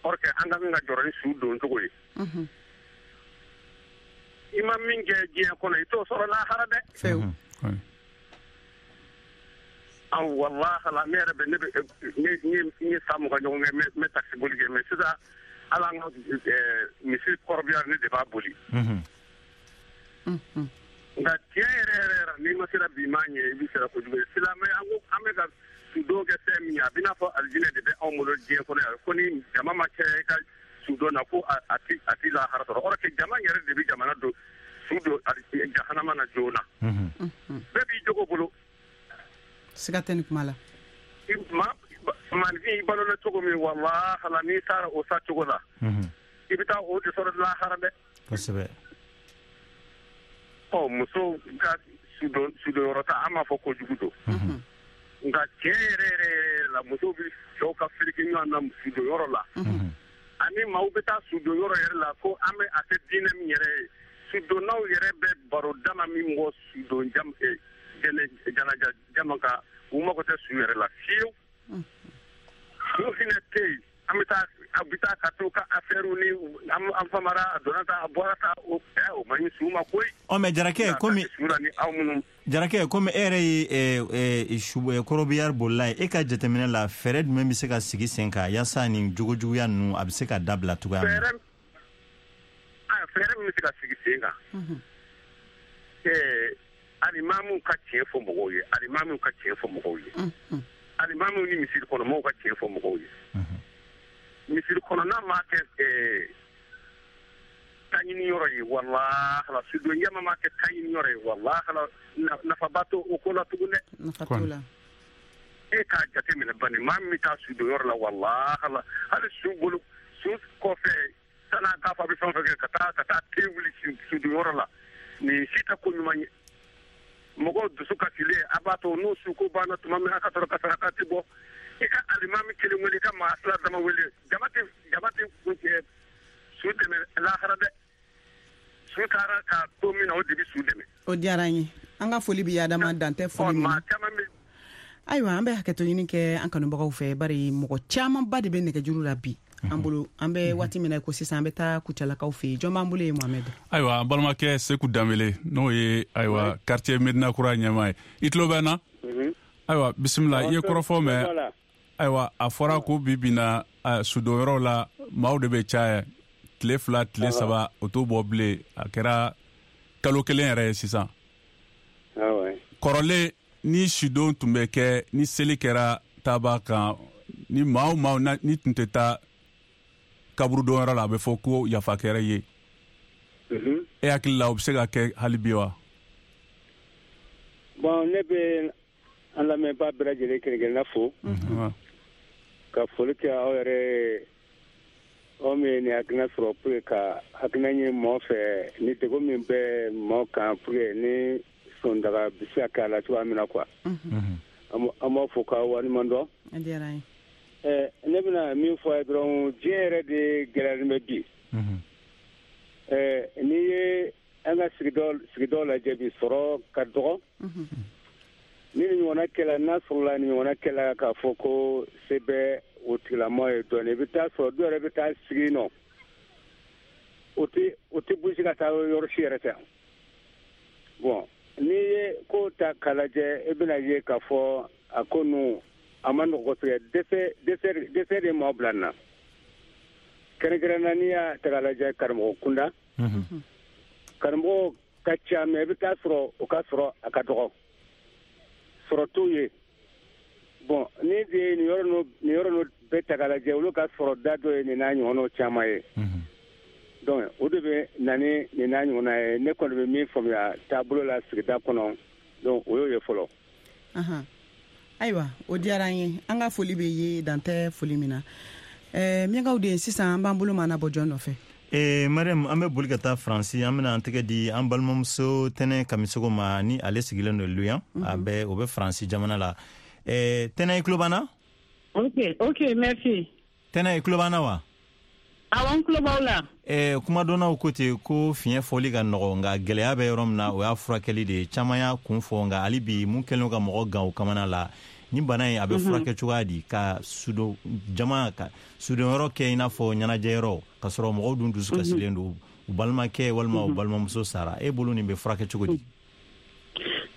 or que an ka kan ka jɔrɔ ni su doncogo ye. I ma min kɛ diɲɛ kɔnɔ i t'o sɔrɔ lahara dɛ. An walahi la ne yɛrɛ bɛ ne bɛ ne n ye san mugan ɲɔgɔn kɛ n bɛ taxi boli kɛ mais sisan ala an ka misi kɔrɔbaya ne de b'a boli. Nka tiɲɛ yɛrɛ yɛrɛ yɛrɛ n'i ma sera bi maa ɲɛ i bɛ sera kojugu ye silamɛ an ko an bɛ ka sudon kɛ fɛn min ye a bɛ n'a fɔ alijinɛ de bɛ anw bolo diɲɛ kɔnɔ yan ko ni jama ma caya i ka sudon na ko a ti a ti lahara sɔrɔ or que jama yɛrɛ de bɛ jamana don su don jahanama na joona. Bɛɛ b'i jogo bolo. Siga tɛ nin kuma la. Ma maanifin i balola cogo min walahi la n'i taara o sa cogo la i bɛ taa o de sɔrɔ lahara dɛ. Kosɛbɛ. Ɔ muso ka sudon sudonyɔrɔ ta an b'a fɔ kojugu don. Nka tiɲɛ yɛrɛ yɛrɛ yɛrɛ la musow bɛ cɛw ka firiki ɲɔgɔn na sudonyɔrɔ la. Ani maaw bɛ taa sudonyɔrɔ yɛrɛ la ko an bɛ a kɛ diinɛ min yɛrɛ ye sudonnaw yɛrɛ bɛ baro dama min bɔ sudon jam jɛnɛ janaja jama kan u mago tɛ su yɛrɛ la fiyewu. Su hinɛ tɛ yen an bɛ taa a bɛ taa ka t'u ka affaire ni an famara a donna tan a bɔra tan o o man ɲi su ma koyi. Ɔ mais Jarakɛ komi Jarakɛ komi e yɛrɛ ye su kɔrɔbiyari bolila ye e ka jateminɛ la fɛɛrɛ jumɛn bɛ se ka sigi sen kan yaasa nin jogojuguya ninnu a bɛ se ka dabila cogoya min na. Fɛɛrɛ min bɛ se ka sigi sen kan. Ɛɛ alimamiw ka tiɲɛ fɔ mɔgɔw ye alimamiw ka tiɲɛ fɔ mɔgɔw ye alimamiw ni misiri kɔnɔ mɔgɔw ka tiɲɛ fɔ mɔgɔw ye. Misiri kɔnɔna maa kɛ taɲini yɔrɔ ye, walahi sudon jama ma kɛ taɲini yɔrɔ ye, walahi nafaba t'o o ko la tugun dɛ. Nafa t'o la. E k'a jateminɛ bani, maa min bɛ taa sudon yɔrɔ la, walahi hali su bolo su kɔfɛ san'a k'a fɔ a bɛ fɛn o fɛn kɛ ka taa ka taa te wuli sudon yɔrɔ la, nin si tɛ ko ɲuman ye. Mɔgɔw dusu kasilen a b'a to n'u su ko banna tuma min a ka sɔrɔ ka saraka ti bɔ, i ka alimami kelen wele, i ka maa fila dama wele, jama tɛ jama tɛ kuncɛ su dɛmɛ lahara dɛ. Su taara ka to min na o de bɛ su dɛmɛ. O diyara an ye, an ka foli b'i Adama, dan tɛ foli min na. Ayiwa, an bɛ hakɛto ɲini kɛ an kanubagaw fɛ, bari mɔgɔ camanba de bɛ nɛgɛjuru la bi an bolo. An bɛ waati min na ko sisan, an bɛ taa Kucalakaw fɛ yen. Jɔn b'an bolo yen, Mohamed? Ayiwa, an balimakɛ Seku Danbele, n'o ye ayiwa quartier Medina Kura ɲɛmaa ye. I tulo bɛ n na? Ayiwa, bisimila. I ye kɔrɔfɔ mɛn. Ayiwa, a fɔra ko bi bi na sudonyɔrɔ la maaw de bɛ caya, tile fila tile saba o t'o bɔ bilen, a kɛra kalo kelen yɛrɛ ye sisan. Kɔrɔlen ni sudon tun bɛ kɛ, ni seli kɛra taaba kan, ni maa o maa ni tun tɛ taa kaburudonyɔrɔ la, a bɛ fɔ ko yafa kɛra ye. E hakili la o bɛ se ka kɛ hali bi wa? Bon, ne bɛ an lamɛnbaa bɛɛ lajɛlen kelen kelenna fo ka foli kɛ aw yɛrɛ, aw min ye nin hakilina sɔrɔ pour que ka hakilina ɲini mɔgɔ fɛ ni degun min bɛ mɔgɔ kan, pour que ni sondaga bɛ se ka kɛ a la cogoya min na quoi. An b'aw fo k'aw waleɲuman dɔn. A diyara an ye. Ɛ ne bɛna min fɔ a ye dɔrɔn, diɲɛ yɛrɛ de gɛlɛyalen bɛ bi. Ɛ n'i ye an ka sigidaw sigidaw lajɛ bi, sɔrɔ ka dɔgɔ. Ni nin ɲɔgɔnna kɛla, n'a sɔrɔla nin ɲɔgɔnna kɛla k'a fɔ ko se bɛ o tigilamɔgɔ ye dɔɔnin, i bɛ taa sɔrɔ dɔw yɛrɛ bɛ taa sigi nɔ, o tɛ o tɛ bouger ka taa yɔrɔ si yɛrɛ tɛ. Bon, n'i ye ko ta k'a lajɛ, i bɛna ye k'a fɔ a ko ninnu a ma nɔgɔ kosɛbɛ. Dɛsɛ dɛsɛ dɛsɛ de maaw bila nin na. Kɛrɛnkɛrɛnnenya n'i y'a ta k'a lajɛ karamɔgɔ kunda, karamɔgɔ ka ca, mais i bɛ taa sɔrɔ o ka sɔrɔ a ka dɔgɔ, sɔrɔ t'u ye. Bon, ni de ye nin yɔrɔ ninnu nin yɔrɔ ninnu bɛɛ ta k'a lajɛ, olu ka sɔrɔ da dɔ ye nin n'a ɲɔgɔnnaw caman ye. Donc o de bɛ na ni nin n'a ɲɔgɔnna ye. Ne kɔni bɛ min faamuya taabolo la sigida kɔnɔ, donc o y'o ye fɔlɔ. Ayiwa, o diyara an ye, an ka foli bɛ ye, dan tɛ foli min na. Ɛɛ Miyankaw de, sisan an b'an bolo maana bɔ jɔn nɔfɛ? Ee Mariam, an bɛ boli ka taa Faransi, an bɛna an tɛgɛ di an balimamuso Tɛnɛ Kamisogo ma, ni ale sigilen don Lyon, a bɛ o bɛ Faransi jamana la. Ɛɛ Tɛnɛ, i tulo b'an na? Ok, ok, merci. Tɛnɛ, i tulo b'an na wa? Awɔ, n tulo b'aw la. Ɛɛ kumadɔnnaw ko ten ko fiɲɛ fɔli ka nɔgɔ, nka gɛlɛya bɛ yɔrɔ min na o y'a furakɛli de ye. Caman y'a kun fɔ, nka hali bi mun kɛlen ka mɔgɔ gan o kamana la, ni bana in a bɛ furakɛ cogoya di ka sudon jama ka sudonyɔrɔ kɛ i n'a fɔ ɲɛnajɛyɔrɔ, ka sɔrɔ mɔgɔw dun dusu kasilen don, u balimakɛ walima u balimamuso sara, e bolo nin bɛ furakɛ cogo di?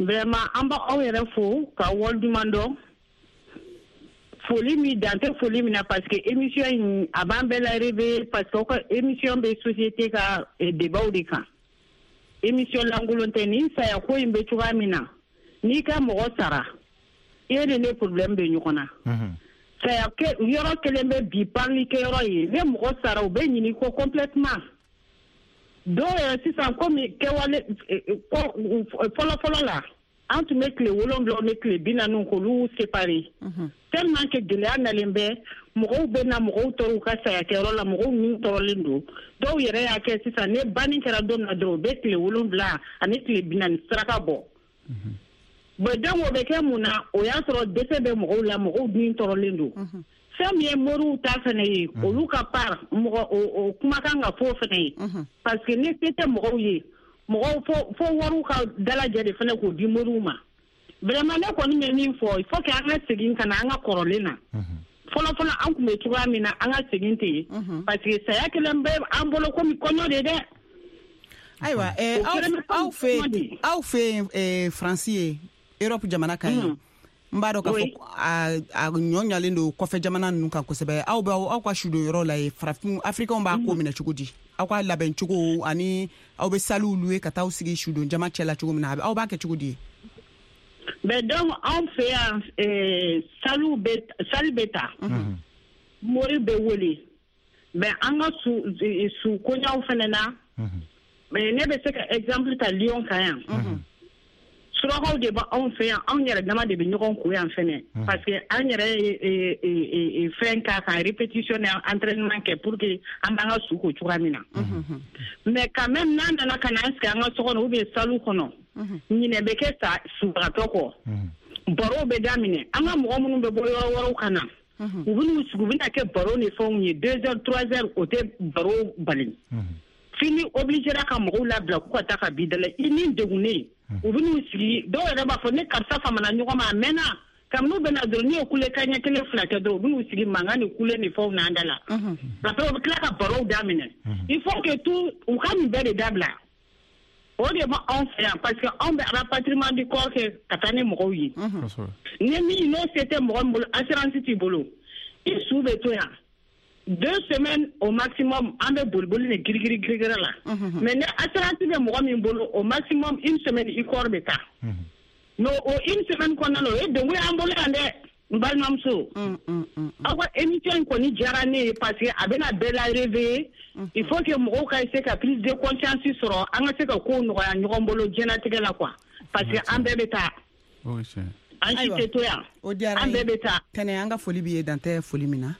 Vraiment, an b'aw yɛrɛ fo ka waleɲuman dɔn. Foli min dan tɛ foli min na, parce que émission in a b'an bɛɛ la réveiller, parce que aw ka émission bɛ société ka débat de kan. Émission lankolon tɛ. Nin saya ko in bɛ cogoya min na, n'i ka mɔgɔ sara, i ye ni ne problème bɛ ɲɔgɔn na. Saya yɔrɔ kelen bɛ bi parili kɛyɔrɔ ye, ne mɔgɔ sara u bɛ ɲini ko complètement. Dɔw yɛrɛ sisan komi kɛwale fɔlɔ fɔlɔ la, an tun bɛ tile wolonwula ni tile bi naani k'olu séparer. Tellement que gɛlɛya nalen bɛ, mɔgɔw bɛ na mɔgɔw tɔɔrɔ u ka saya kɛyɔrɔ la, mɔgɔw min tɔɔrɔlen don. Dɔw yɛrɛ y'a kɛ sisan, ne banni kɛra don min na dɔrɔn, u bɛ tile wolonwula ani tile bi naani saraka bɔ. Bon, donc o bɛ kɛ mun na? O y'a sɔrɔ dɛsɛ bɛ mɔgɔw la, mɔgɔw dun tɔɔrɔlen don. Fɛn min ye moriw ta fɛnɛ ye, olu ka part mɔgɔ o kumakan ka fɔ fɛnɛ ye, parce que ni se tɛ mɔgɔw ye, mɔgɔw fo fo wariw ka dalajɛ de fɛnɛ k'o di moriw ma. Vraiment, ne kɔni bɛ min fɔ, il faut que an ka segin ka na an ka kɔrɔlen na. Fɔlɔ fɔlɔ an tun bɛ cogoya min na, an ka segin ten, parce que saya kelen bɛ an bolo komi kɔɲɔ de dɛ. Ayiwa, aw fɛ aw fɛ Faransi ye, Europe jamana kan ye, n b'a dɔn k'a fɔ a ɲɔ ɲalen don kɔfɛ jamana ninnu kan kosɛbɛ. Aw bɛ aw ka sudon yɔrɔ la ye, farafin Africains b'a ko minɛ cogo di? Aw ka labɛn cogo ani aw bɛ saliw louer ka taa aw sigi sudon jama cɛ la cogo min na, aw b'a kɛ cogo di? Mais donc anw fɛ yan, saliw bɛ sali bɛ ta, mori bɛ wele, mais an ka su su koɲaw fɛnɛ na, Mais ne bɛ se ka exemple ta Lyon kan yan. Surakaw de b'anw fɛ yan, anw yɛrɛ dama de bɛ ɲɔgɔn ko yan fɛnɛ. Parce que an yɛrɛ ye fɛn k'a kan, répétition ni entraînement kɛ pour que an b'an ka su ko cogoya min na. Mais quand même n'an nana ka n'an sigi an ka so kɔnɔ ou bien salle kɔnɔ, ɲinɛ bɛ kɛ sa subagatɔ kɔ. Baro bɛ daminɛ, an ka mɔgɔ minnu bɛ bɔ yɔrɔ wɛrɛw ka na, u bɛ n'u sigi, u bɛna kɛ baro ni fɛnw ye deux heures trois heures, o tɛ baro bali. Fini obligera ka mɔgɔw labila k'u ka taa ka b'i da la, i ni degunnen. U bɛ n'u sigi, dɔw yɛrɛ b'a fɔ ne karisa famana ɲɔgɔn ma a mɛnna, kabini u bɛ na dɔrɔn n'u ye kule kaɲɛ kelen fila kɛ dɔrɔn u bɛ n'u sigi mankan ni kule ni fɛnw n'an da la. Après u bɛ tila ka barow daminɛ. Il faut que tout u ka nin bɛɛ de dabila. O de bɛ anw fɛ yan parce que anw bɛ rapatriement du corps kɛ ka taa ni mɔgɔw ye. Ni min n'o se tɛ mɔgɔ min bolo, assurance t'i bolo, i su bɛ to yan. Deux semaines au maximum, an bɛ boliboli ni girigiri girigiri la. Mais ni assurance bɛ mɔgɔ min bolo, au maximum une semaine i corps bɛ taa. Mais o une semaine kɔnɔna na, o ye degun y'an bolo yan dɛ, n balimamuso. Aw ka émission in kɔni diyara ne ye parce que a bɛna bɛɛ la réveiller. Il faut que mɔgɔw ka essayer ka prise de conscience sɔrɔ, an ka se ka kow nɔgɔya ɲɔgɔn bolo diɲɛlatigɛ la quoi. Parce que an bɛɛ bɛ taa. An si tɛ to yan. An bɛɛ bɛ taa. Tɛnɛ, an ka foli b'i ye, dan tɛ foli min na.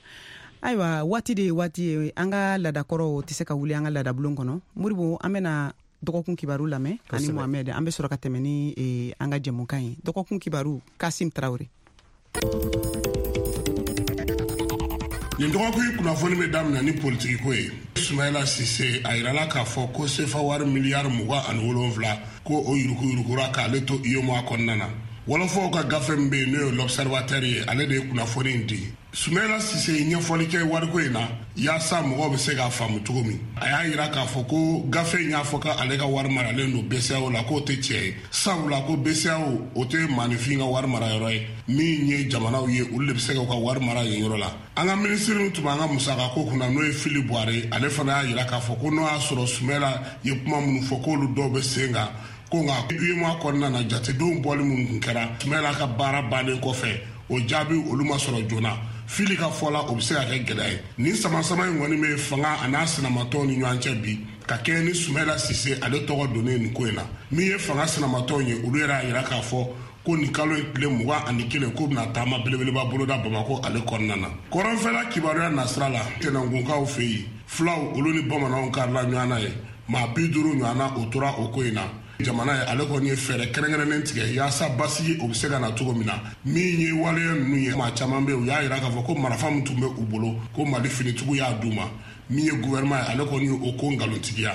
Ayiwa, waati de ye waati ye, an ka laadakɔrɔw tɛ se ka wuli an ka laadabulon kɔnɔ. Moribo, an bɛna dɔgɔkun kibaru lamɛn ani Mohamed, an bɛ sɔrɔ ka tɛmɛ ni an ka jɛmukan ye. Dɔgɔkun kibaru, Kasim Traoré. Nin dɔgɔkun kunnafoni bɛ daminɛ ni politiki ko ye. Sumayila Sise a yirala k'a fɔ ko sefa wari miliyari mugan ani wolonfila ko o yuruguyurugura k'ale to UEMOA kɔnɔna na. Wɔlɔfɔw ka gafe min bɛ yen n'o ye l'Observateur ye, ale de ye kunnafoni in di. Sumayila Sise ye ɲɛfɔli kɛ wariko in na yaasa mɔgɔw bɛ se k'a faamu cogo min. A y'a yira k'a fɔ ko gafe in y'a fɔ k'ale ka wari maralen don B C A O la, k'o tɛ tiɲɛ ye. Sabula ko B C A O o tɛ maaninfin ka wari mara yɔrɔ ye, min ye jamanaw ye olu de bɛ se k'u ka wari mara yen yɔrɔ la. An ka minisiri min tun b'an ka musakako kunna n'o ye Fili Buware, ale fana y'a yira k'a fɔ ko n'o y'a sɔrɔ Sumayila ye kuma minnu fɔ k'olu dɔw bɛ sen kan, ko nka UEMOA kɔnɔna na jatedenw bɔli minnu tun kɛra Sumayila ka baara bannen kɔfɛ, o jaabi olu ma sɔrɔ joona. Fili ka fɔ la, o bɛ se ka kɛ gɛlɛya ye. Nin sama-sama in kɔni bɛ fanga a n'a sinamatɔnw ni ɲɔgɔn cɛ bi, ka kɛɲɛ ni Sumayila Sise ale tɔgɔ donnen nin ko in na. Min ye fanga sinamatɔnw ye, olu yɛrɛ y'a yira k'a fɔ ko nin kalo in tile mugan ani kelen k'o bɛna taama belebeleba boloda Bamakɔ ale kɔnɔna na. Kɔrɔnfɛla kibaruya nasira la, Tɛnɛnkunkaw fɛ yen, fulaw olu ni bamananw karila ɲɔgɔn na ye, maa bi duuru ɲɔgɔn na o tora o ko in na. Jamana ye ale kɔni ye fɛɛrɛ kɛrɛnkɛrɛnnen tigɛ yaasa basigi o bɛ se ka na cogo min na. Min ye waleya ninnu ye, maa caman bɛ yen u y'a yira k'a fɔ ko marifa min tun bɛ u bolo ko Mali finitigiw y'a d'u ma. Min ye gouvernement ye, ale kɔni ye o ko nkalontigiya.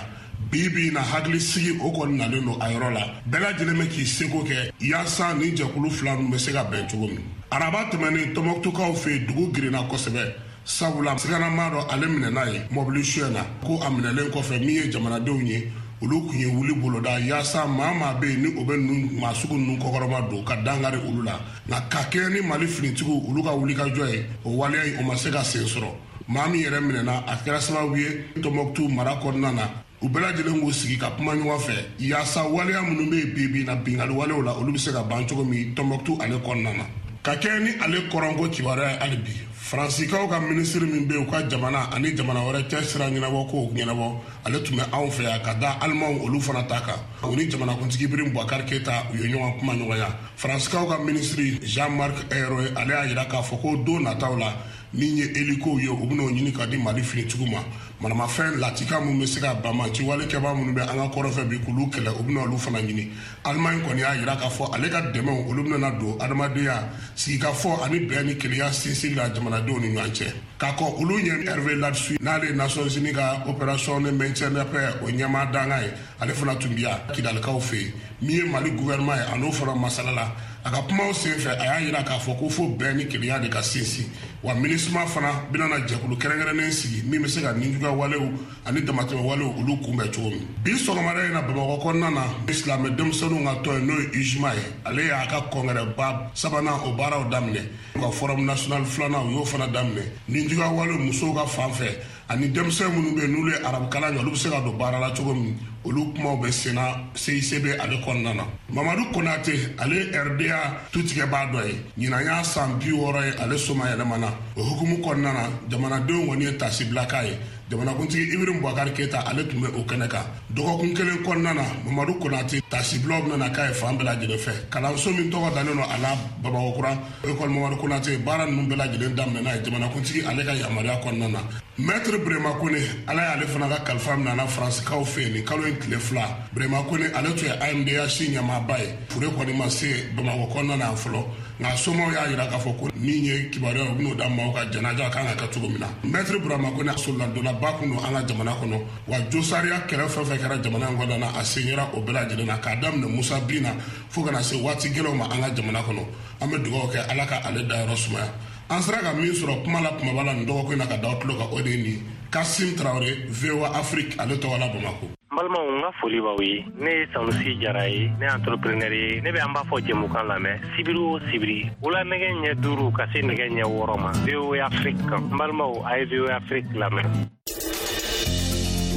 Bi bi in na, hakilisigi o kɔni nalen don a yɔrɔ la. Bɛɛ lajɛlen bɛ k'i seko kɛ yaasa nin jɛkulu fila ninnu bɛ se ka bɛn cogo min. Araba tɛmɛnen, Tɔnbɔkutukaw fɛ yen, dugu girinna kosɛbɛ. Sabula siganama dɔ ale minɛna ye mɔbili suɲɛ na, ko a minɛlen kɔfɛ min ye jamanadenw ye, olu kun ye wuli boloda yaasa maa maa bɛ yen ni o bɛ ninnu maa sugu ninnu kɔkɔrɔma don ka dankari olu la. Nka ka kɛɲɛ ni Mali finitigiw olu ka wulikajɔ ye, o waleya in o ma se ka sen sɔrɔ. Maa min yɛrɛ minɛna, a kɛra sababu ye Tɔnbɔkutu mara kɔnɔna na, u bɛɛ lajɛlen k'u sigi ka kuma ɲɔgɔn fɛ yaasa waleya minnu bɛ yen bi bi in na binkanni walew la, olu bɛ se ka ban cogo min Tɔnbɔkutu ale kɔnɔna na. Ka kɛɲɛ ni ale kɔrɔnko kibaruya ye hali bi, Faransikaw ka minisiri min bɛ yen u ka jamana ani jamana wɛrɛ cɛ sira ɲɛnabɔ kow ɲɛnabɔ, ale tun bɛ anw fɛ yan ka da Alimanw olu fana ta kan. U ni jamanakuntigi Ibrahim Boubacar Keïta u ye ɲɔgɔn kuma ɲɔgɔnya. Faransikaw ka minisiri Jean-Marc Ayrault ale y'a yira k'a fɔ ko don nataw la, min ye helikow ye, u bɛn'o ɲini ka di Mali finitigiw ma. Manamafɛn latika minnu bɛ se ka banbaanci walekɛbaa minnu bɛ an ka kɔrɔfɛ bi k'olu kɛlɛ, u bɛna olu fana ɲini. Alimaɲi kɔni y'a yira k'a fɔ ale ka dɛmɛw olu bɛna don adamadenya sigikafɔ ani bɛn ni kelenya sinsinli la jamanadenw ni ɲɔgɔn cɛ. K'a kɔ olu ɲɛ Hervé Ladsous n'ale ye Nations Unies ka opération de maintien de paix o ɲɛmaa dankan ye, ale fana tun bɛ yan Kidalikaw fɛ yen. Min ye Mali gouvernement ye, a n'o fana masala la. A ka kumaw senfɛ, a y'a yira k'a fɔ ko fo bɛn ni kelenya de ka sinsin. Wa MINUSMA fana bɛna na jɛkulu kɛrɛnkɛrɛnnen sigi min bɛ se ka nijuguya walew ani damatɛmɛ walew olu kunbɛn cogo min. Bi sɔgɔmada in na Bamakɔ kɔnɔna na, silamɛ denmisɛnninw ka tɔn ye n'o ye UJMA ye, ale y'a ka kɔngɛrɛba sabanan o baaraw daminɛ. U ka forum national filanan u y'o fana daminɛ. Nijuguya walew musow ka fan fɛ ani denmisɛn minnu bɛ yen n'olu ye arabukalan kɛ, olu bɛ se ka don baara la cogo min, olu kumaw bɛ senna C I C B ale kɔnɔna na. Mamadu Konate ale R D A tutigɛbaa dɔ ye, ɲinan y'a san bi wɔɔrɔ ye ale soma yɛlɛmana. O hukumu kɔnɔna na, jamanadenw kɔni ye tasibila k'a ye. Jamanakuntigi Ibrahim Boubacar Keita ale tun bɛ o kɛnɛ kan. Dɔgɔkun kelen kɔnɔna na, Mamadu Konate tasibilaw bɛna k'a ye fan bɛɛ lajɛlen fɛ. Kalanso min tɔgɔ dalen don a la Bamakɔ kura, École Mamadu Konate, baara ninnu bɛɛ lajɛlen daminɛna ye jamanakuntigi ale ka yamaruya kɔnɔna na. Maître Burema Kone, Ala y'ale fana ka kalifa minɛ a la Faransikaw fɛ yen nin kalo in tile fila. Burema Kone ale tun ye A M D H ɲɛmaaba ye. Fure kɔni ma se Bamakɔ kɔnɔna na fɔlɔ, nka somaw y'a jira k'a fɔ ko min ye kibaruya ye, u bɛn'o da maaw ka janaja kan ka kɛ cogo min na. Maître Burema Kone soladonnaba kun don an ka jamana kɔnɔ, wa josariya kɛlɛ fɛn fɛn kɛra jamana in kɔnɔna na, a senyera o bɛɛ lajɛlen na k'a daminɛ Musa bin na fo ka na se waati gɛlɛnw ma an ka jamana kɔnɔ. An bɛ dugawu kɛ Ala ka ale dayɔrɔ sumaya. An sera ka min sɔrɔ kuma la kumaba la nin dɔgɔkun in na ka da aw tulo kan, o de ye nin Kasim Traoré, V O A Afrique, ale tɔgɔ la Bamakɔ. N balimaw, n ka foli b'aw ye. Ne ye Sanusi Jara ye, ne ye entrepreneur ye. Ne bɛ an b'a fɔ jɛmukan lamɛn sibiri o sibiri wula nɛgɛ ɲɛ duuru ka se nɛgɛ ɲɛ wɔɔrɔ ma V O A Afrique kan. N balimaw, a ye V O A Afrique lamɛn.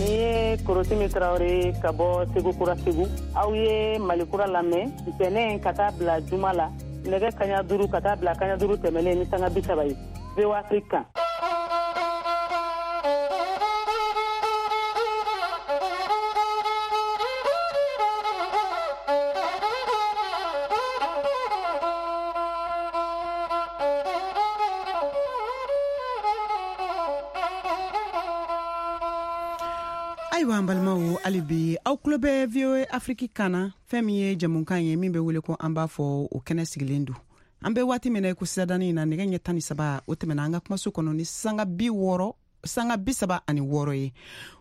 Ni ye Korotimi Traoré ka bɔ Segu Kura Segu. Aw ye Mali Kura lamɛn ntɛnɛn ka taa bila juma la nɛgɛ kaɲa duuru ka taa bila kaɲa duuru tɛmɛnen ni sanga bi saba ye V O A Afrique kan. Ayiwa an balimaw, hali bi aw tulo bɛ V O A Afrique kan na, fɛn min ye jamukan ye min bɛ wele ko an b'a fɔ, o kɛnɛ sigilen don. An bɛ waati min na i ko sisan in na, nɛgɛ ɲɛ tan ni saba o tɛmɛna an ka kumaso kɔnɔ ni sanga bi wɔɔrɔ sanga bi saba ani wɔɔrɔ ye.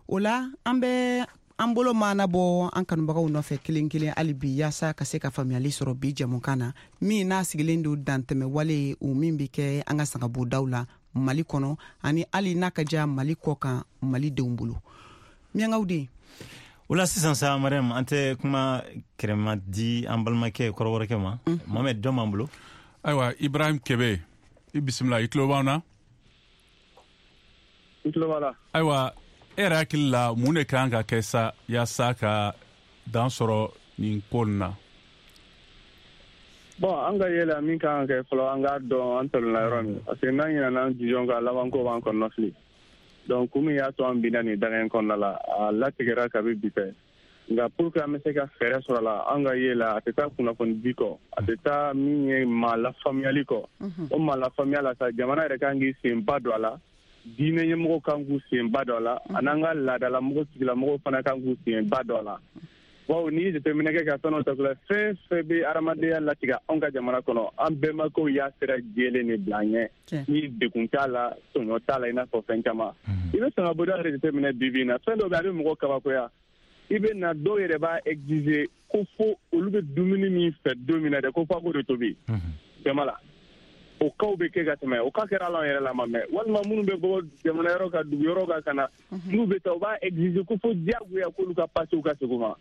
O la an bɛ an bolo maana bɔ an kanubagaw nɔfɛ kelen kelen hali bi, yaasa ka se ka faamuyali sɔrɔ bi jamukan na min n'a sigilen don dantɛmɛ wale o min bɛ kɛ an ka sangabondaw la Mali kɔnɔ ani hali n'a ka diya Mali kɔ kan Malidenw bolo. Miyankaw den o la sisan sa, Mariam, an tɛ kuma kɛrɛma di an balimakɛ kɔrɔbɔrɔkɛ ma. Mohamed, jɔn b'an bolo? Ayiwa, Ibrahim Kebe, i bisimila, i tulo b'an na? I tulo b'a la. Ayiwa, e yɛrɛ hakili la, mun de kan ka kɛ sa yaasa ka dan sɔrɔ nin ko nin na? Bon, an ka yɛlɛ min kan ka kɛ fɔlɔ, an k'a dɔn an tɔlɔla yɔrɔ min, parce que n'an ɲinɛna an jujɔn kan, labanko b'an kɔnɔna fili. Donc kun min y'a to an binna nin daga in kɔnɔna la, a latigɛra kabi bi fɛ. Nka pour que an bɛ se ka fɛɛrɛ sɔrɔ a la, an ka ye la, a tɛ taa kunnafoni di kɔ, a tɛ taa min ye maa lafaamuyali kɔ. O maa lafaamuya la sa, jamana yɛrɛ kan k'i senba don a la, diinɛ ɲɛmɔgɔw kan k'u senba don a la, an'an ka laadalamɔgɔ tigilamɔgɔw fana kan k'u senba don a la. Bawo n'i ye jateminɛ kɛ ka fɛn dɔ ta k'o la, fɛn fɛn bɛ adamadenya latigɛ anw ka jamana kɔnɔ, an bɛnbakɛw y'a sira jɛlen de bila an ɲɛ. Ni degun t'a la, tɔɲɔ t'a la, i n'a fɔ fɛn caman. I bɛ sangabonda yɛrɛ jateminɛ bi bi in na, fɛn dɔ bɛ yen a bɛ mɔgɔ kabakoya. I bɛ na dɔw yɛrɛ b'a exiger ko fo olu bɛ dumuni min fɛ don min na dɛ, ko f'a k'o de tobi jama la. O kaw bɛ kɛ ka tɛmɛ, o ka kɛra ala yɛrɛ la ma mɛn. Walima minnu bɛ bɔ jamana yɔrɔ ka dugu yɔrɔ kan ka na, n'u bɛ taa u b'a exiger ko fo diyagoya k'olu ka passer ka segin u ma.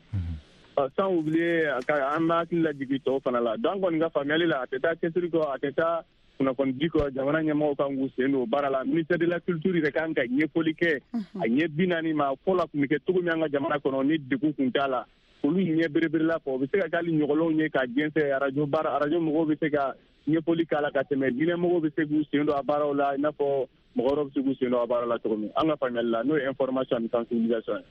Sans oublier an b'a hakili lajigin tɔw fana la. Donc an kɔni ka faamuyali la, a tɛ taa cɛsiri kɔ, a tɛ taa kunnafoni di kɔ, jamana ɲɛmɔgɔw kan k'u sen don baara la. Ministère de la culture yɛrɛ kan ka ɲɛfɔli kɛ a ɲɛ bi naani ma fɔlɔ tun bɛ kɛ cogo min an ka jamana kɔnɔ ni degun tun t'a la, olu ɲɛ bereberela fɔ. O bɛ se ka kɛ hali ɲɔgɔlɔnw ye ka jɛnsɛn, arajo baara, arajo mɔgɔw bɛ se ka ɲɛfɔli k'a la ka tɛmɛ, diinɛ mɔgɔw bɛ se k'u sen don a baaraw la, i n'a fɔ mɔgɔ wɛrɛw bɛ se k'u sen don a baaraw la cogo min. An ka faamuyali la, n'o ye information ani sensibilisation ye.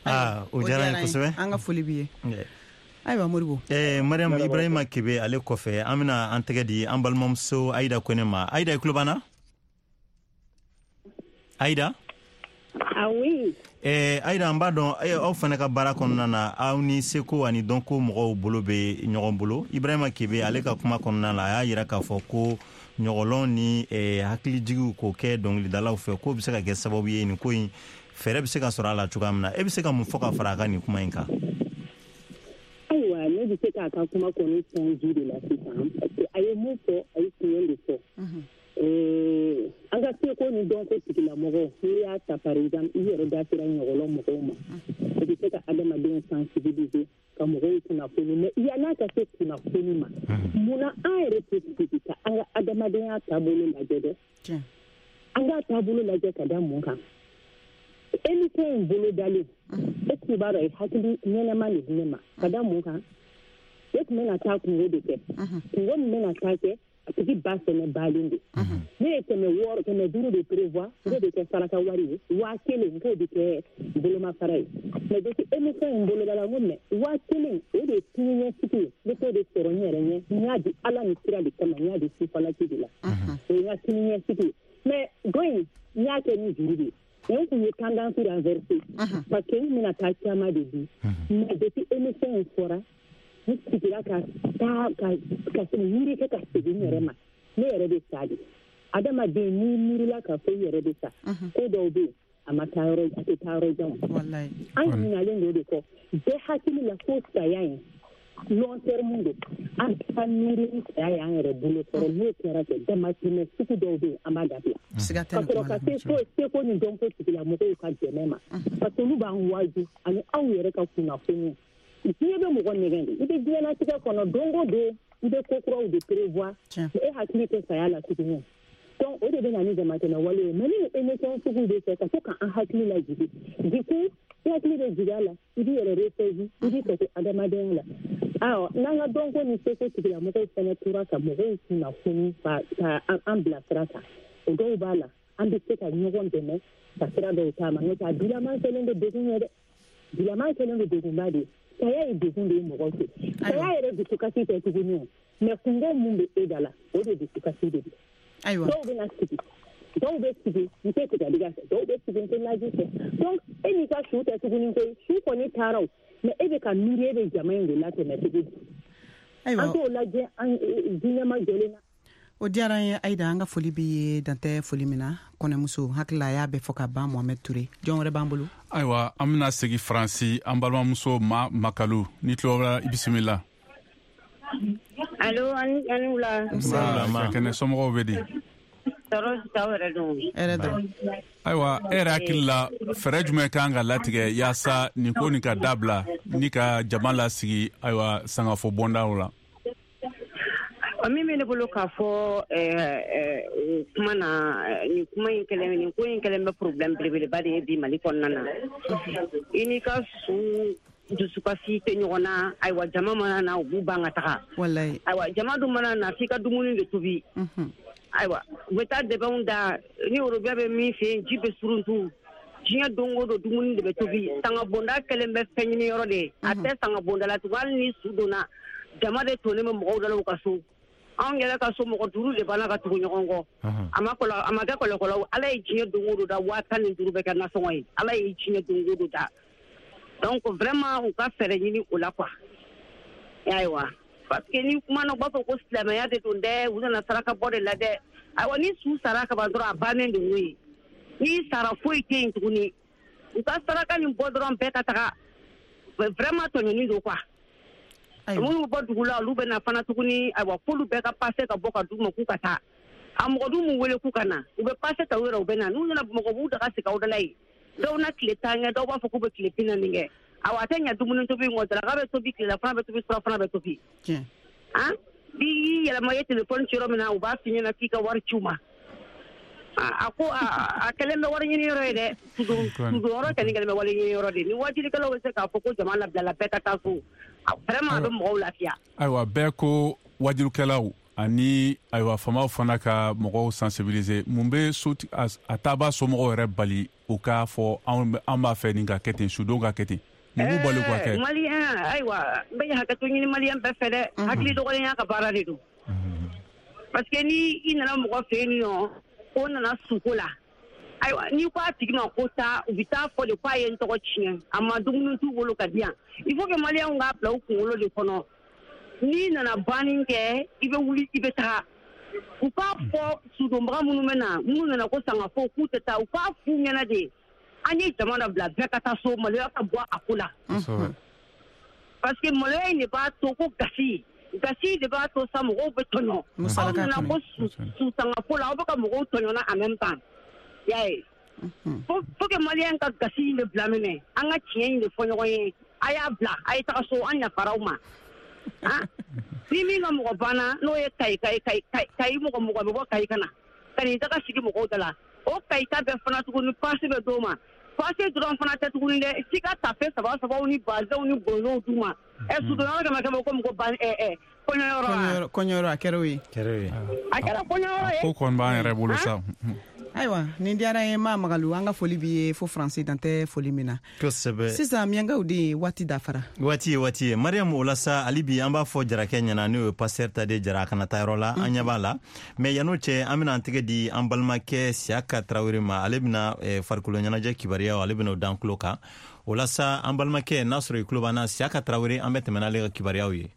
Ah, o diyara n ye kosɛbɛ. An ka foli b'i ye. Ayiwa Moribo. Eh, Mariam, Ibrahima Kebe ale kɔfɛ, an bɛna an tɛgɛ di an balimamuso Ayida Kone ma. Ayida, i tulo b'an na? Ayida? Ah oui. Eh, Ayida, an b'a dɔn aw fana ka baara kɔnɔna na, aw ni seko ani dɔnko mɔgɔw bolo bɛ ɲɔgɔn bolo. Ibrahima Kebe ale ka kuma kɔnɔna la, a y'a jira k'a fɔ ko ɲɔgɔlɔn ni eh, hakilijigiw k'o kɛ dɔnkilidalaw fɛ, k'o bɛ se ka kɛ sababu ye nin ko in fɛɛrɛ bɛ se ka sɔrɔ a la cogoya min na. E bɛ se ka mun fɔ ka fara a ka nin kuma in kan? Ayiwa, ne bɛ se k'a ka kuma kɔni sɔn ji de la sisan, parce que a ye mun fɔ, a ye tiɲɛ de fɔ. An ka seko ni dɔnko tigilamɔgɔw, n'i y'a ta par exemple, i yɛrɛ da sera ɲɔgɔlɔn mɔgɔw ma, o bɛ se ka adamadenw sensibiliser ka mɔgɔw kunnafoni. Mais yann'a ka se kunnafoni ma, munna an yɛrɛ tɛ sigi ka an ka adamadenya taabolo lajɛ dɛ? An k'a taabolo lajɛ ka da mun kan? Émission in bolo dalen, e tun b'a dɔn a ye hakili ɲɛnama de di ne ma ka da mun kan? Ne tun bɛna taa kungo de kɛ, kungo min bɛna taa kɛ, A tigi ba fɛnɛ balen don. Ne ye kɛmɛ wɔɔrɔ kɛmɛ duuru de prévoir n k'o de kɛ saraka wari ye, waa kelen n k'o de kɛ bolomafara ye. Mais depuis émission in boloda la, n ko mais waa kelen o de ye siniɲɛsigi ye, ne t'o de sɔrɔ n yɛrɛ ɲɛ, n y'a di Ala ni kira de kama, n y'a di sufalaki de la, o ye n ka siniɲɛsigi ye. Mais dɔ in n y'a kɛ ni juru de ye. Mais n kun ye tendance renversée parce que n bɛna taa caman de di. Mais depuis émission in fɔra, n sigira ka taa ka ka miiri kɛ ka segin n yɛrɛ ma, ne yɛrɛ bɛ sa de. Adamaden n'i miirila k'a fɔ i yɛrɛ bɛ sa, ko dɔw bɛ yen a ma taa yɔrɔ, a tɛ taa yɔrɔ jan. An ɲinalen don o de kɔ, bɛɛ hakili la ko saya in long terme don, an ka miiri ni saya y'an yɛrɛ bolo kɔrɔ, n'o kɛra kɛ damatɛmɛ sugu dɔw bɛ yen an b'a dabila. Ka sɔrɔ ka se fo seko ni dɔnko tigilamɔgɔw ka dɛmɛ ma, parce que olu b'an waaju ani aw yɛrɛ ka kunnafoniw. Diɲɛ bɛ mɔgɔ nɛgɛn de, i bɛ diɲɛlatigɛ kɔnɔ don o don i bɛ ko kuraw de prévoir, e hakili tɛ saya la tuguni. Donc o de bɛ na ni damatɛmɛ wale ye. Mais ni émission sugu bɛ kɛ ka to k'an hakili lajigin, du coup i hakili bɛ jigin a la, i b'i yɛrɛ ressaisi, i b'i kɛ to adamadenya la. Awɔ, n'an ka dɔnko ni seko tigilamɔgɔw fana tora ka mɔgɔw kunnafoni ka ka an bila sira kan, o dɔw b'a la an bɛ se ka ɲɔgɔn dɛmɛ ka sira dɔw taama. N'o tɛ a bilama kɛlen don degun ye dɛ, bilama kɛlen don degunba de ye. Saya ye degun de ye mɔgɔ fɛ, saya yɛrɛ dusukasi tɛ tuguni o, mais kungo mun bɛ e da la o de dusukasi de don. Ayiwa, dɔw bɛ na sigi, dɔw bɛ sigi n tɛ tigɛdiga fɛ, dɔw bɛ sigi n tɛ naji fɛ. Donc e n'i ka su tɛ tuguni koyi, su kɔni taara o, mais e bɛ ka miiri e bɛ jama in de latɛmɛ cogo di? Ayiwa, an t'o lajɛ an diinɛ ma jɔlen na. O diyara n ye Ayida, an ka foli b'i ye dantɛ foli min na. Kɔnɛmuso hakili la a y'a bɛɛ fɔ ka ban. Mohamed Touré, jɔn wɛrɛ b'an bolo? Ayiwa, an bɛna segin Faransi, an balimamuso Ma Makalu, ni tulo b'a la, i bisimila. Allo, ani wula. Nba, kɛnɛ somɔgɔw bɛ di? Tɔɔrɔ si t'aw yɛrɛ dɔn. Hɛrɛ dɔrɔn. Ayiwa, e yɛrɛ hakili la fɛɛrɛ jumɛn kan ka latigɛ yaasa nin ko nin ka dabila ni ka jama lasigi ayiwa sangafo bɔndaw la? Min bɛ ne bolo k'a fɔ o kuma na, nin kuma in kɛlen, nin ko in kɛlen bɛ problème belebeleba de ye bi Mali kɔnɔna na. I n'i ka su dusukasi tɛ ɲɔgɔn na. Ayiwa, jama mana na u b'u ban ka taga. Walayi. Ayiwa, jama dun mana na f'i ka dumuni de tobi. Ayiwa, u bɛ taa dɛbɛnw da ni worobɛ bɛ min fɛ yen, ji bɛ suruntu. Diɲɛ don o don dumuni de bɛ tobi. Sangabonda kɛlen bɛ fɛn ɲini yɔrɔ de ye. A tɛ sangabonda la tugun, hali ni su donna, jama de tonnen bɛ mɔgɔw da la u ka so. Anw yɛrɛ ka so mɔgɔ duuru de banna ka tugu ɲɔgɔn kɔ. A ma kɔlɔ, a ma kɛ kɔlɔkɔlɔ. Ala ye diɲɛ don o don da, waa tan ni duuru bɛ kɛ nasɔngɔ ye. Ala ye diɲɛ don o don da. Donc vraiment u ka fɛɛrɛ ɲini o la quoi. Ayiwa, parce que ni kuma na u b'a fɔ ko silamɛya de don dɛ, u nana saraka bɔ de la dɛ. Ayiwa, ni su sara ka ban dɔrɔn a bannen don o ye. Ni sara foyi tɛ yen tuguni. U ka saraka nin bɔ dɔrɔn bɛɛ ka taga. Vraiment tɔɲɔni don quoi. Minnu bɔ dugu la olu bɛ na fana tuguni. Ayiwa, f'olu bɛɛ ka passe ka bɔ ka d'u ma k'u ka taa. A mɔgɔ dun m'u wele k'u ka na, u bɛ passe ta u yɛrɛ u bɛ na. N'u nana Bamakɔ b'u daga sigi aw da la yen. Dɔw na tile tan kɛ, dɔw b'a fɔ k'u bɛ tile bi naani kɛ. Ayiwa, a tɛ ɲɛ dumuni tobi kɔ, daraka bɛ tobi, tilelafana bɛ tobi, surafana bɛ tobi. Han, n'i y'i yɛlɛma i ye téléphone ci yɔrɔ min na, u b'a f'i ɲɛna k'i ka wari ci u ma. A ko a kɛlen bɛ wari ɲini yɔrɔ ye dɛ. Sudonyɔrɔ kɔni kɛlen bɛ wari ɲini yɔrɔ de. Ni wajilikɛlaw bɛ se k'a fɔ ko jama labilala bɛɛ ka taa so, vraiment a bɛ mɔgɔw lafiya. Ayiwa, bɛɛ ko wajilikɛlaw ani ayiwa faamaw fana ka mɔgɔw sensibiliser. Mun bɛ so a taaba somɔgɔw yɛrɛ bali u k'a fɔ an b'a fɛ nin ka kɛ ten, sudon ka kɛ ten? Mun b'u bali u ka kɛ? Maliyɛn, ayiwa, n bɛ hakɛto ɲini maliyɛn bɛɛ fɛ dɛ. Hakili dɔgɔlenya ka baara de don. Parce que ni i nana mɔgɔ fɛ yen nɔ ko nana suko la, ayiwa, n'i ko a tigi ma ko taa, u bɛ taa fɔ de k'a ye n tɔgɔ tiɲɛ, a ma dumuni t'u bolo ka di yan. Il faut que maliyɛnw k'a bila u kunkolo de kɔnɔ. N'i nana banni kɛ, i bɛ wuli i bɛ taga. U k'a fɔ sudonbaga minnu bɛ na, minnu nana ko sangafo k'u tɛ taa, u k'a f'u ɲɛna de an ye jama labila bɛɛ ka taa so, maloya ka bɔ a ko la. Parce que maloya in de b'a to ko gasi gasi de b'a to sa mɔgɔw bɛ tɔɲɔ. Aw nana ko susangafo la, aw bɛ ka mɔgɔw tɔɲɔna en même temps. Y'a ye, faut que maliyɛn ka gasi in de bila minɛ, an ka tiɲɛ in de fɔ ɲɔgɔn ye. A y'a bila, a ye taga so, an yafara aw ma. Ni min ka mɔgɔ banna n'o ye Kayi Kayi Kayi Kayi mɔgɔ mɔgɔ bɛ bɔ Kayi ka na ka n'i taga sigi mɔgɔw da la, o Kayi ta bɛɛ fana tuguni passe bɛ d'o ma. Passe dɔrɔn fana tɛ tuguni dɛ, f'i ka tafe saba sabaw ni bazɛnw ni bonzow d'u ma. Ɛ sudonyɔrɔ kɛmɛ kɛmɛ ko mɔgɔ ban ɛ ɛ kɔɲɔyɔrɔ wa? Kɔɲɔyɔrɔ a kɛra o ye. A kɛra kɔɲɔyɔrɔ ye. Ko kɔni b'an yɛrɛ bolo sa. Ayiwa, nin diyara n ye maa Magalu, an ka foli b'i ye fo Faransi dan tɛ foli min na. Kosɛbɛ. Sisan Miyankaw de waati dafara. Waati ye waati ye. Mariam, o la sa hali bi an b'a fɔ Jarakɛ ɲɛna, n'o ye pasteur Tade Jara, a kana taa yɔrɔ la, an ɲɛ b'a la. Mais yan'o cɛ, an bɛna an tɛgɛ di an balimakɛ Siyaka Tarawele ma, ale bɛna farikolo ɲɛnajɛ kibaruyaw, ale bɛna o d'an tulo kan. O la sa an balimakɛ, n'a sɔrɔ i tulo b'an na, Siyaka Tarawele, an bɛ tɛmɛ n'ale ka kibaruyaw ye.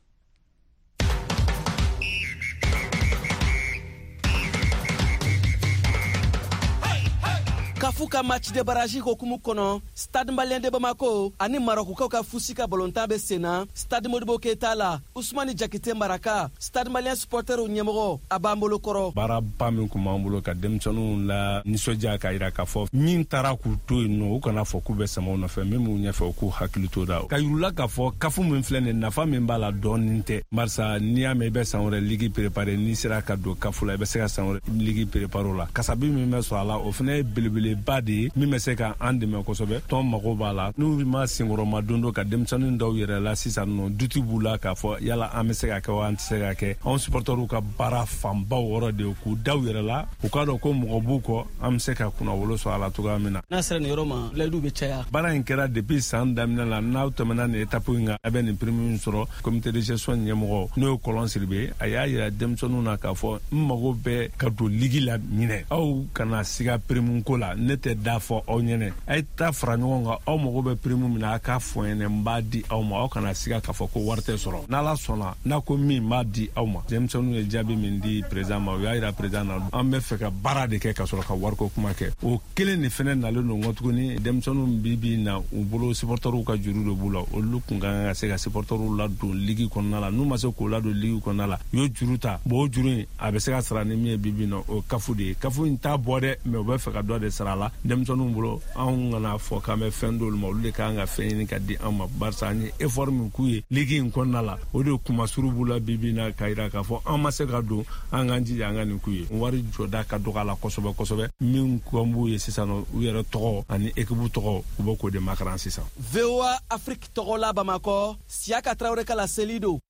Kafu ka match de barrage hokumu kɔnɔ, Stade Malien de Bamako ani Marokukaw ka fusi ka balontan bɛ senna Stade Modibo Keita la. Usumani Jakite Maraka, Stade Malien supporterw ɲɛmɔgɔ, a b'an bolo kɔrɔ. Baaraba min kun b'an bolo ka denmisɛnninw la nisɔndiya k'a yira k'a fɔ min taara k'u to yen nɔ, u kana fɔ k'u bɛ sama u nɔfɛ, min b'u ɲɛfɛ u k'u hakili t'o la. Ka yir'u la k'a fɔ kafu min filɛ nin, nafa min b'a la dɔɔnin tɛ, barisa n'i y'a mɛn i bɛ san wɛrɛ ligue préparer, n'i sera ka don kafu la i bɛ se ka san wɛrɛ ligue préparer o la. Kasabi min bɛ sɔrɔ a la, o fana ye belebele ba de ye min bɛ se ka an dɛmɛ kosɛbɛ. Tɔn mago b'a la, n'u ma senkɔrɔma don dɔ ka denmisɛnnin dɔw yɛrɛ la sisan nɔ, duti b'u la k'a fɔ yala an bɛ se ka kɛ wa an tɛ se ka kɛ. Anw supportɛriw ka baara fanbaw yɔrɔ de ye k'u da u yɛrɛ la, u k'a dɔn ko mɔgɔ b'u kɔ, an bɛ se ka kunnawolo sɔrɔ a la cogoya min na. N'a sera nin yɔrɔ ma, layidu bɛ caya. Baara in kɛra depuis san daminɛ la, n'aw tɛmɛna nin étape in kan, a bɛ nin prime min sɔrɔ. Comité de gestion ɲɛmɔgɔ, n'o ye Kɔlɔn Siribe, a y'a yira denmisɛnninw na k'a fɔ n mago bɛ ka don ligue la ɲinɛ, aw kana siga prime ko la, ne tɛ da fɔ aw ɲɛnɛ, a ye taa fara ɲɔgɔn kan, aw mago bɛ prime min na a k'a fɔ n ɲɛnɛ, n b'a di aw ma, aw kana siga k'a fɔ ko wari tɛ sɔrɔ, n'Ala sɔnna n'a ko min n b'a di aw ma. Denmisɛnninw ye jaabi min di président ma, u y'a yira président na an bɛ fɛ ka baara de kɛ ka sɔrɔ ka wariko kuma kɛ. O kelen de fɛnɛ nalen don kɔ tuguni, denmisɛnninw bi bi na u bolo supportɛriw ka juru de b'u la, olu kun ka kan ka se ka supportɛriw ladon ligue kɔnɔna la, n'u ma se k'o ladon ligue kɔnɔna la, u ye juru ta, bon o juru in a bɛ se ka sara ni min ye bi bi na, o kafu de ye. Kafu in t'a bɔ dɛ, mais u bɛ fɛ ka dɔ de sara la denmisɛnninw bolo. Anw kana fɔ k'an bɛ fɛn d'olu ma, olu de kan ka fɛn ɲini ka di an ma, barisa an ye effort min k'u ye ligue in kɔnɔna la, o de kumasuru b'u la bi bi na k'a yira k'a fɔ an ma se ka don, an k'an jija an ka nin k'u ye. Wari jɔda ka dɔgɔ a la kosɛbɛ kosɛbɛ, min kɔn b'u ye sisan nɔ, u yɛrɛ tɔgɔ ani équipe tɔgɔ, u bɛ k'o de makaran sisan. V O A Afrique tɔgɔ la Bamakɔ, Siyaka Tarawele ka laseli don.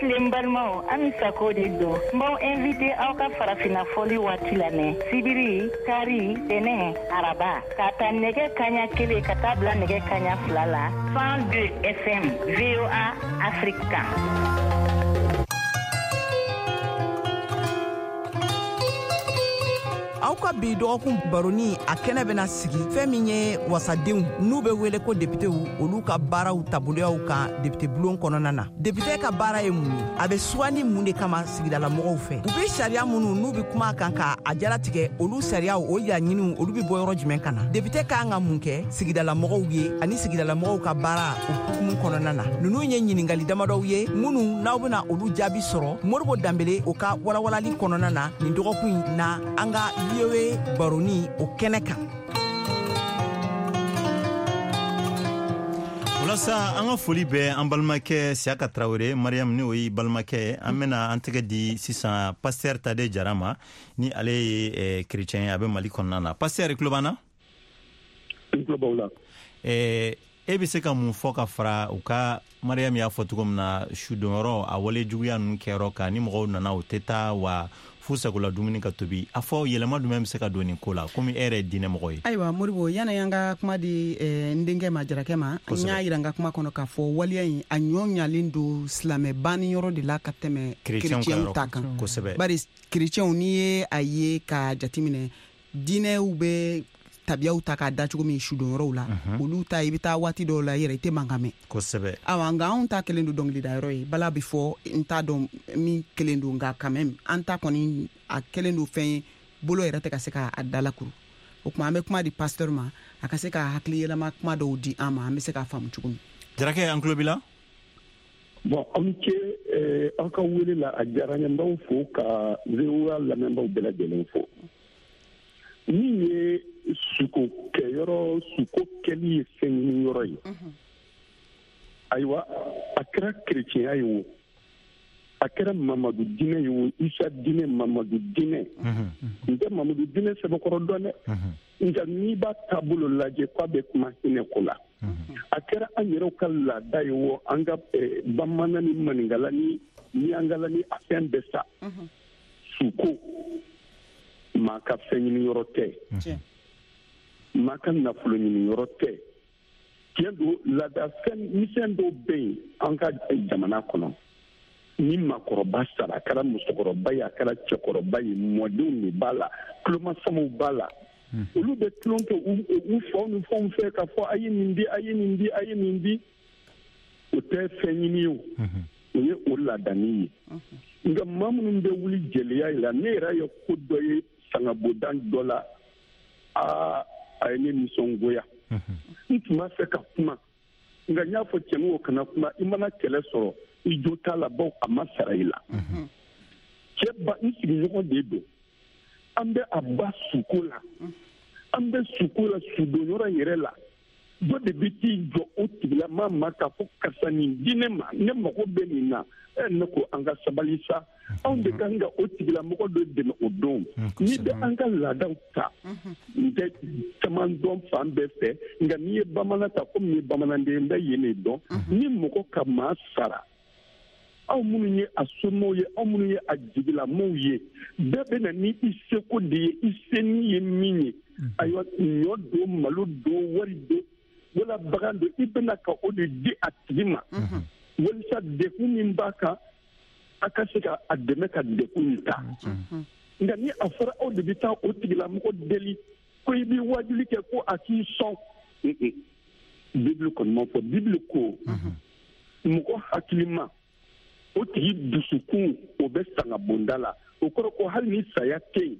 N balimaw, Ami Sako de don. N b'aw invité aw ka farafinna fɔli waati lamɛn sibiri, kari, tɛnɛ, araba, ka ta nɛgɛ kaɲa kelen ka taa bila nɛgɛ kaɲa fila la cent deux F M V O A Afrique kan. Aw ka bi dɔgɔkun baroni a kɛnɛ bɛna sigi fɛn min ye wasadenw n'u bɛ wele ko depitew, olu ka baaraw taaboloyaw kan depite bulon kɔnɔna na. Depite ka baara ye mun ye? A bɛ sugandi mun de kama sigidalamɔgɔw fɛ? U bɛ sariya minnu n'u bɛ kuma kan ka a jalatigɛ, olu sariyaw o laɲiniw olu bɛ bɔ yɔrɔ jumɛn ka na? Depite ka kan ka mun kɛ sigidalamɔgɔw ye ani sigidalamɔgɔw ka baara o hukumu kɔnɔna na? Ninnu ye ɲininkali damadɔw ye minnu n'aw bɛna olu jaabi sɔrɔ Modibo Danbele o ka walawalali kɔnɔna na nin dɔgɔkun in na an ka V O A baroni o kɛnɛ kan. Walasa an ka foli bɛ an balimakɛ Siyaka Tarawele, Mariam, ni o ye balimakɛ, an bɛna an tɛgɛ di sisan pasteur Tade Jara ma, ni ale ye chrétien ye, a bɛ Mali kɔnɔna na. Pasteur, i tulo b'an na? N tulo b'aw la. E bɛ se ka mun fɔ ka fara u ka, Mariam y'a fɔ cogo min na, sudonyɔrɔ a wale juguya ninnu kɛyɔrɔ kan, ni mɔgɔw nana u tɛ taa wa f'u sagola dumuni ka tobi, a fɔ yɛlɛma jumɛn bɛ se ka don nin ko la, komi e yɛrɛ ye diinɛmɔgɔ ye? Ayiwa Modibo, yanni an ka kuma di n denkɛ ma, Jarakɛ ma, n y'a yira n ka kuma kɔnɔ k'a fɔ waleya in a ɲɔ ɲalen don silamɛ banni yɔrɔ de la ka tɛmɛ kerecɛnw ta kan. Kosɛbɛ. Bari kerecɛnw, n'i ye a ye k'a jateminɛ, diinɛw bɛ tabiyaw ta k'a da cogo min sudonyɔrɔw la, olu ta i bɛ taa waati dɔw la i yɛrɛ i tɛ mankan mɛn. Kosɛbɛ. Awa, nka anw ta kelen don dɔnkilidayɔrɔ ye, bala bɛ fɔ, n t'a dɔn min kelen don, nka quand même an ta kɔni a kelen don fɛn ye, bolo yɛrɛ tɛ ka se k'a dalakuru. O tuma an bɛ kuma di pasteur ma, a ka se ka hakili yɛlɛma kuma dɔw di an ma, an bɛ se k'a faamu cogo min. Jarakɛ, an tulo b'i la. Bon, aw ni ce aw ka wele la, a diyara n ye, n b'aw fo ka V O A lamɛnbaaw bɛɛ lajɛlen fo. Min ye suko kɛyɔrɔ, suko kɛli ye fɛn ɲini yɔrɔ ye. Ayiwa, a kɛra kerecɛnya ye o, A kɛra Mamadu diinɛ ye o, Isa diinɛ, Mamadu diinɛ. N tɛ Mamadu diinɛ sɛbɛkɔrɔ dɔn dɛ. Nka n'i b'a taabolo lajɛ k'a bɛ kuma hinɛ ko la. A kɛra an yɛrɛw ka laada ye o, an ka bamanan ni maninkala ni miyankala ni a fɛn bɛɛ sa. Suko, maa ka fɛn ɲini yɔrɔ tɛ. Maa ka nafolo ɲini yɔrɔ tɛ. Tiɲɛ don, laada fɛn misɛn dɔw bɛ yen an ka jamana kɔnɔ. Ni maakɔrɔba sara, a kɛra musokɔrɔba ye, a kɛra cɛkɔrɔba ye, mɔdenw de b'a la, tulomasamaw b'a la. Olu bɛ tulon kɛ u faw ni fɛnw fɛ k'a fɔ a ye nin di, a ye nin di, a ye nin di. O tɛ fɛn ɲini ye o, o ye o laadani ye. Nka maa minnu bɛ wuli jeliya la, ne yɛrɛ ye ko dɔ ye sangabodan dɔ la, aa a ye ne nisɔngoya. N tun b'a fɛ ka kuma, nka n y'a fɔ cɛnin o kana kuma, i mana kɛlɛ sɔrɔ i jo t'a la, bawo a ma sara i la. Cɛ ba, n sigiɲɔgɔn de don. An bɛ a ba suko la, an bɛ suko la sudonyɔrɔ yɛrɛ la. Dɔ de bɛ t'i jɔ o tigilama ma k'a fɔ karisa nin di ne ma, ne mago bɛ nin na. Ɛ ne ko an ka sabali sa, anw de kan ka o tigilamɔgɔ dɔ dɛmɛ o don. N'i bɛ an ka laadaw ta, n tɛ caman dɔn fan bɛɛ fɛ, nka n'i ye bamanan ta, komi n ye bamananden, n bɛ yen de dɔn. Ni mɔgɔ ka maa sara, aw minnu ye a somɔgɔw ye, aw minnu ye a jigilamɔgɔw ye, bɛɛ bɛ na ni i seko de ye, i seni ye min ye. Ayiwa, ɲɔ don, malo don, wari don, wala bagan don, i bɛna ka o de di a tigi ma. Walisa degun min b'a kan, a ka se ka a dɛmɛ ka degun in ta. Nka ni a fɔra aw de bɛ taa o tigilamɔgɔ deli ko i b'i wajuli kɛ ko a k'i sɔn. Bibulu kɔni ma fɔ. Bibulu ko mɔgɔ hakilima, o tigi dusukun o bɛ sangabonda la. O kɔrɔ ko hali ni saya tɛ yen,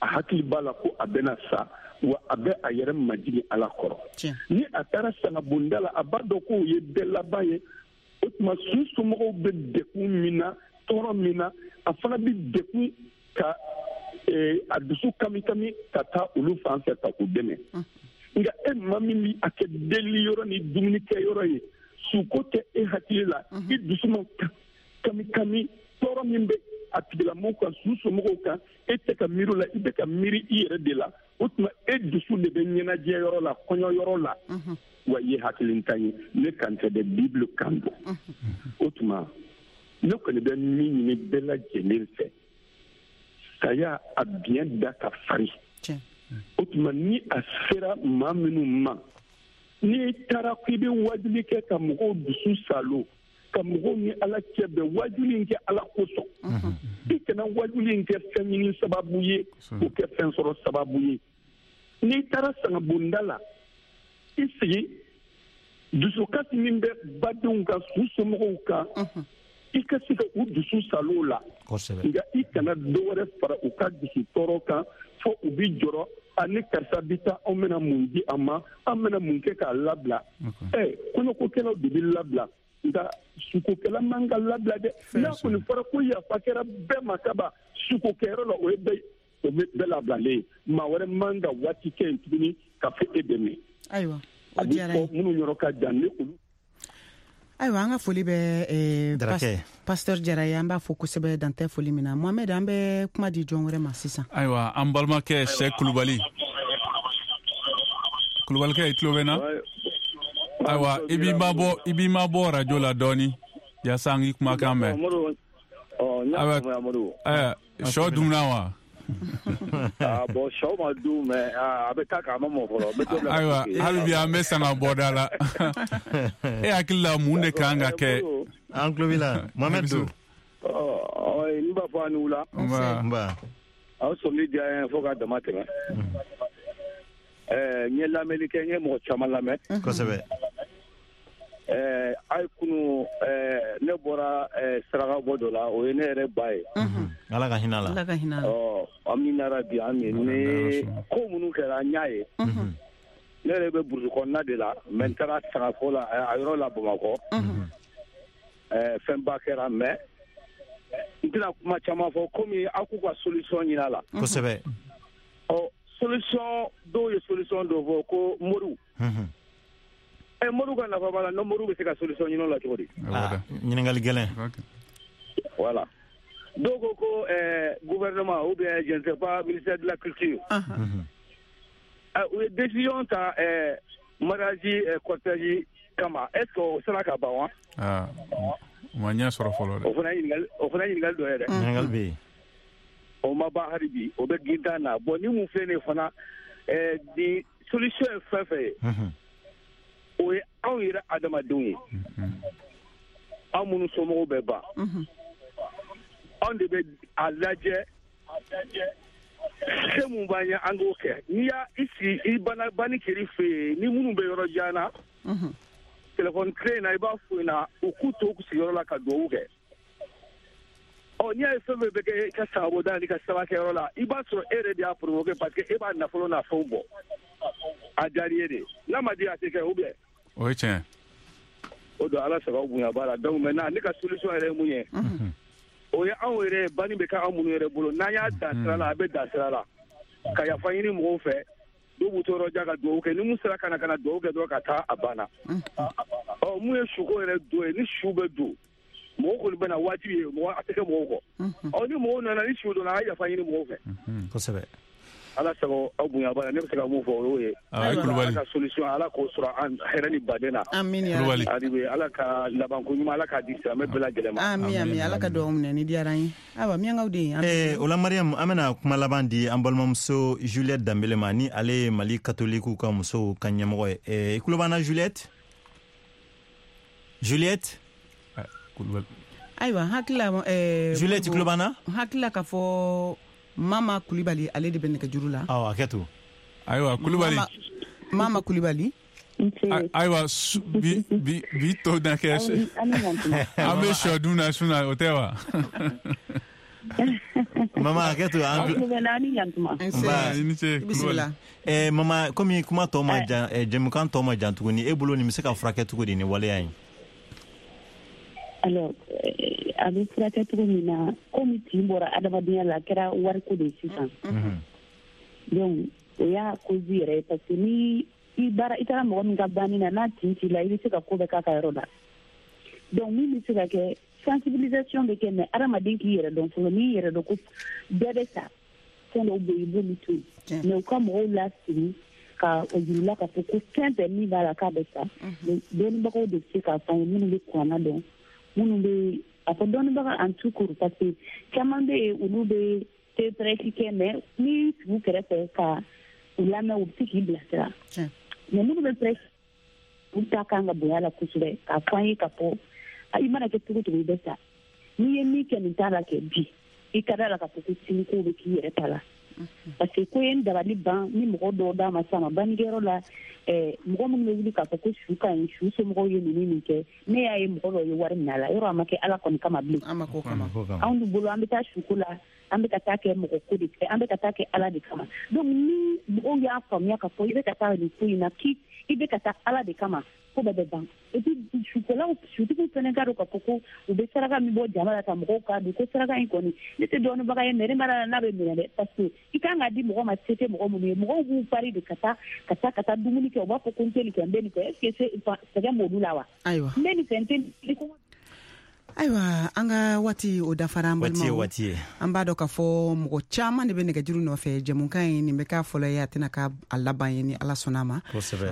a hakili b'a la ko a bɛna sa, wa a bɛ a yɛrɛ majigin Ala kɔrɔ. Ni a taara sangabonda la, a b'a dɔn k'o ye bɛɛ laban ye. O tuma su somɔgɔw bɛ degun min na, tɔɔrɔ min na, a fana bɛ degun ka a dusu kami kami ka taa olu fan fɛ ka u dɛmɛ. Nka e maa min bɛ a kɛ deli yɔrɔ ni dumunikɛ yɔrɔ ye, suko tɛ e hakili la, i dusu ma kami kami, tɔɔrɔ min bɛ a tigilamɔgɔw kan, su somɔgɔw kan, e tɛ ka miiri o la, i bɛ ka miiri i yɛrɛ de la. O tuma e dusu de bɛ ɲɛnajɛ yɔrɔ la, kɔɲɔ yɔrɔ la. Wa i ye hakilintan ye, ne kan tɛ dɛ, Bibulu kan don. O tuma ne kɔni bɛ min ɲini bɛɛ lajɛlen fɛ, saya a biɲɛ da ka farin. O tuma ni a sera maa minnu ma, n'i taara k'i bɛ wajuli kɛ ka mɔgɔw dusu salo, ka mɔgɔw ni Ala cɛ bɛn, wajuli in kɛ Ala kosɔn. I kana wajuli in kɛ fɛn ɲini sababu ye, k'o kɛ fɛn sɔrɔ sababu ye. N'i taara sangabonda la, i sigi, dusukasi min bɛ badenw kan, su somɔgɔw kan, i ka se ka u dusu salo la. Nka i kana dɔ wɛrɛ fara u ka dusu tɔɔrɔ kan, fo u bi jɔrɔ, ani karisa bi taa, anw bɛna mun di a ma, an bɛna mun kɛ k'a labila. Ɛ kɔɲɔkokɛlaw de bɛ labila, nka sukokɛla man ka labila dɛ. N'a kɔni fɔra ko yafa kɛra bɛɛ ma kaban sukokɛyɔrɔ la, o ye bɛɛ o bɛ bɛɛ labilalen ye. Maa wɛrɛ man ka waati kɛ yen tuguni ka fɔ e dɛmɛ. Ayiwa, o diyara n ye. Minnu yɔrɔ ka jan ni olu. Ayiwa, an ka foli bɛ pasteur Jara ye, an b'a fɔ kosɛbɛ dan tɛ foli min na. Mohamed, an bɛ kuma di jɔn wɛrɛ ma sisan. Ayiwa, an balimakɛ Sɛ Kulubali. Kulubalikɛ, i tulo bɛ n na? Ayiwa, i b'i mabɔ i b'i mabɔ radio la dɔɔni yaasa an k'i kumakan mɛn. Ayiwa, sɔ dunna wa? Ah bon, sɔ ma dun, mais a bɛ taa k'a ma mɔ fɔlɔ. Ayiwa, hali bi an bɛ sanga bɔda la. E hakili la mun de kan ka kɛ? An tulo b'i la, Mohamed don. Ɔ, n b'a fɔ a ni wula. Nba. Aw sɔmini diyara n ye fo k'a dama tɛmɛ. Ɛɛ, n ye lamɛnni kɛ, n ye mɔgɔ caman lamɛn. Kosɛbɛ. Ɛɛ, a ye kunu, ɛɛ, ne bɔra saraka bɔ dɔ la, o ye ne yɛrɛ ba ye. Ala ka hinɛ a la. Ala ka hinɛ a la. Ɔ, amina rabi, amin. Ni ko minnu kɛra, n y'a ye. Ne yɛrɛ bɛ burusi kɔnɔna de la, mais n taara sagafo la, a yɔrɔ la Bamakɔ. Ɛɛ, fɛnba kɛra, mais n tɛna kuma caman fɔ, komi aw k'u ka solution ɲini a la. Kosɛbɛ. Ɔ, solution dɔw ye solution dɔ fɔ ko moriw. Ɛ moriw ka nafa b'a la, n'o moriw bɛ se ka solution ɲini o la cogo di? Ɲininkali gɛlɛn. Voilà. Dɔw ko ko ɛɛ gouvernement ou bien je ne sais pas, ministère de la culture. U ye décision ta ɛɛ mariage cortège kama, est ce que o sera ka ban wa? Aa, o ma ɲɛ sɔrɔ fɔlɔ dɛ. O fana ye ɲininkali o fana ye ɲininkali dɔ ye dɛ. Ɲininkali bɛ yen. O ma ban hali bi, o bɛ gintan na. Bon, ni mun filɛ nin ye fana, ɛɛ ni solution ye fɛn fɛn ye, o ye anw yɛrɛ adamadenw ye. Anw minnu somɔgɔw bɛ ban, anw de bɛ a lajɛ se mun b'an ye, an k'o kɛ. N'i y'a i sigi i banna banni kɛr'i fɛ yen, ni minnu bɛ yɔrɔ jan na, téléphone clé in na, i b'a f'u ɲɛna u k'u to u sigiyɔrɔ la ka dugawu kɛ. Ɔ, n'i y'a ye fɛn fɛn bɛ kɛ i ka sagabɔda n'i ka sabakɛyɔrɔ la, i b'a sɔrɔ e yɛrɛ de y'a provoqué, parce que e b'a nafolo n'a fɛnw bɔ. A diyar'i ye de, n'a ma di a tɛ kɛ ou bien? O ye tiɲɛ. O don Ala sago bonya b'a la. Donc maintenant ne ka solution yɛrɛ ye mun ye? O ye anw yɛrɛ banni bɛ kɛ anw minnu yɛrɛ bolo, n'an y'a dan sira la, a bɛ dan sira la, ka yafa ɲini mɔgɔw fɛ, dɔw b'u to yɔrɔ jan ka dugawu kɛ, ni mun sera ka na ka na dugawu kɛ dɔrɔn ka taa, a banna. Ɔ, mun ye suko yɛrɛ don ye, ni su bɛ don, mɔgɔw kɔni bɛ na wajibi ye, mɔgɔ a tɛ kɛ mɔgɔw kɔ. Ɔ, ni mɔgɔw nana, ni su donna, a ye yafa ɲini mɔgɔw fɛ. Kosɛbɛ. Ala sago aw bonya b'a la, ne bɛ se ka mun fɔ o y'o ye. Ala ka solution, Ala k'o sɔrɔ an hɛrɛ ni baden na. Amin ya Rabbi. Ala ka labanko ɲuman, Ala k'a di silamɛ bɛɛ lajɛlen ma. Amin amin, Ala ka dugawu minɛ, ni diyara an ye. Ayiwa, miyankaw den. Eh, o la Mariam, an bɛna kuma laban di an balimamuso Juliette Danbele ma, ni ale ye Mali katolikiw ka musow ka ɲɛmɔgɔ ye. Eh, i tulo b'an na Juliette? Juliette? Ayiwa, hakili la eh, Juliette, i tulo b'an na? Hakili la k'a fɔ Mama Kulibali, ale de bɛ nɛgɛjuru la. Awɔ, a kɛ to. Ayiwa, Kulibali. Mama Kulibali. Ayiwa, bi bi bi tɔ na kɛ an bɛ sɔ dun na su na, o tɛ wa? Mama, a kɛ to. Nba, i ni ce Kulibali. Eh, mama, komi kuma tɔ ma jan, jɛmukan tɔ ma jan tuguni, e bolo nin bɛ se ka furakɛ cogo di ni waleya in? Alors, a bɛ furakɛ cogo min na, komi tin bɔra adamadenya la, a kɛra wariko de ye sisan. Donc o y'a cause yɛrɛ ye, parce que ni i baara i taara mɔgɔ min ka banni na, n'a tin t'i la, i bɛ se ka ko bɛɛ k'a ka yɔrɔ la. Donc min bɛ se ka kɛ, sensibilisation bɛ kɛ, mais adamaden k'i yɛrɛ dɔn fɔlɔ. N'i yɛrɛ dɔn ko bɛɛ bɛ sa, fɛn dɔw bɛ yen i b'olu to yen, mais u ka mɔgɔw lasigi ka o yir'i la k'a fɔ ko fɛn bɛɛ min b'a la k'a bɛ sa. Dɔnnibagaw de bɛ se k'a fɔ an ye, minnu bɛ kuranna dɔn, minnu bɛ a fɔ dɔnnibaga en tout court, parce que caman bɛ yen, olu bɛ te prêche kɛ, mais n'i sigi u kɛrɛfɛ ka u lamɛn, u bɛ se k'i bilasira. Mais minnu bɛ prêche, olu ta kan ka bonya la kosɛbɛ, k'a fɔ an ye k'a fɔ i mana kɛ cogo cogo i bɛ sa, n'i ye min kɛ nin t'a la kɛ bi, i ka d'a la k'a fɔ ko sini kow bɛ k'i yɛrɛ ta la. Parce que ko ye n dabali ban, ni mɔgɔ dɔw d'a ma sa ma bannikɛyɔrɔ la, mɔgɔ minnu bɛ wuli k'a fɔ ko su ka ɲi, su somɔgɔw ye ninnu nin kɛ, ne y'a ye mɔgɔ dɔw ye wari minɛ a la, yɔrɔ a ma kɛ Ala kɔni kama bilen. Anw de bolo, an bɛ taa suko la, an bɛ ka taa kɛ mɔgɔ ko de, an bɛ ka taa kɛ Ala de kama. Donc ni mɔgɔw y'a faamuya k'a fɔ i bɛ ka taa nin ko in na, k'i i bɛ ka taa Ala de kama, ko bɛɛ bɛ ban. Et puis sukolaw, sutigiw fana k'a dɔn k'a fɔ ko u bɛ saraka min bɔ jama la ka mɔgɔw k'a dun, ko saraka in kɔni, ne tɛ dɔnnibaga ye, mais ne ma d'a la n'a bɛ minɛ dɛ, parce que i kan k'a di mɔgɔ ma, se tɛ mɔgɔ minnu ye, mɔgɔw b'u pari de ka taa ka taa ka taa dumuni kɛ, u b'a fɔ ko n tɛ nin kɛ, n bɛ nin kɛ, est ce que sɛgɛn b'olu la wa? Ayiwa, n bɛ nin fɛ, n tɛ nin. Ayiwa, an ka waati o dafara, an balimaw. Waati ye. An b'a dɔn k'a fɔ mɔgɔ caman de bɛ nɛgɛjuru nɔfɛ. Jɛmukan in, nin bɛ k'a fɔlɔ ye, a tɛna k'a laban ye, ni Ala sɔnna a ma.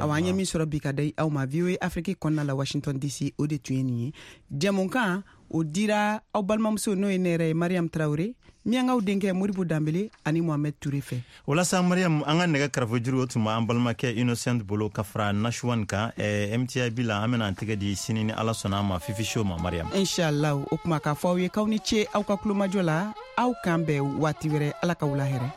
Awa, an ye min sɔrɔ bi ka da aw ma V O A Afrique kɔnɔna la, Washington D C, o de tun ye nin ye. Jɛmukan o dira aw balimamuso, n'o ye ne yɛrɛ ye, Mariam Traoré, miyankaw denkɛ Modibo Danbele ani Mohamed Touré fɛ. O la sa Mariam, an ka nɛgɛ karafejuru o tun b'an balimakɛ Innocent bolo ka fara Nashwan kan. eh, M T I B la, an bɛna an tɛgɛ di sini ni Ala sɔnna a ma, Fifi Show ma, Mariam. Inshallah. O kuma k'a fɔ aw ye k'aw ni ce aw ka kulomajɔ la, aw k'an bɛn waati wɛrɛ, Ala ka wula hɛrɛ.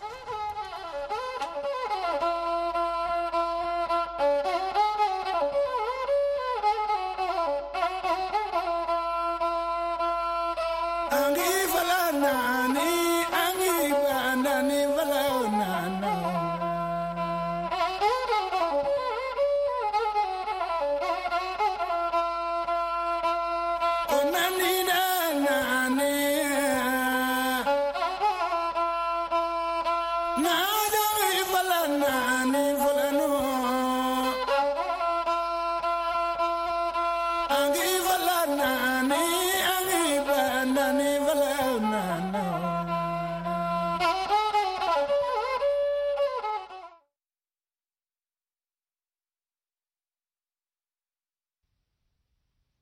Angi vala nani, angi ba nani vala.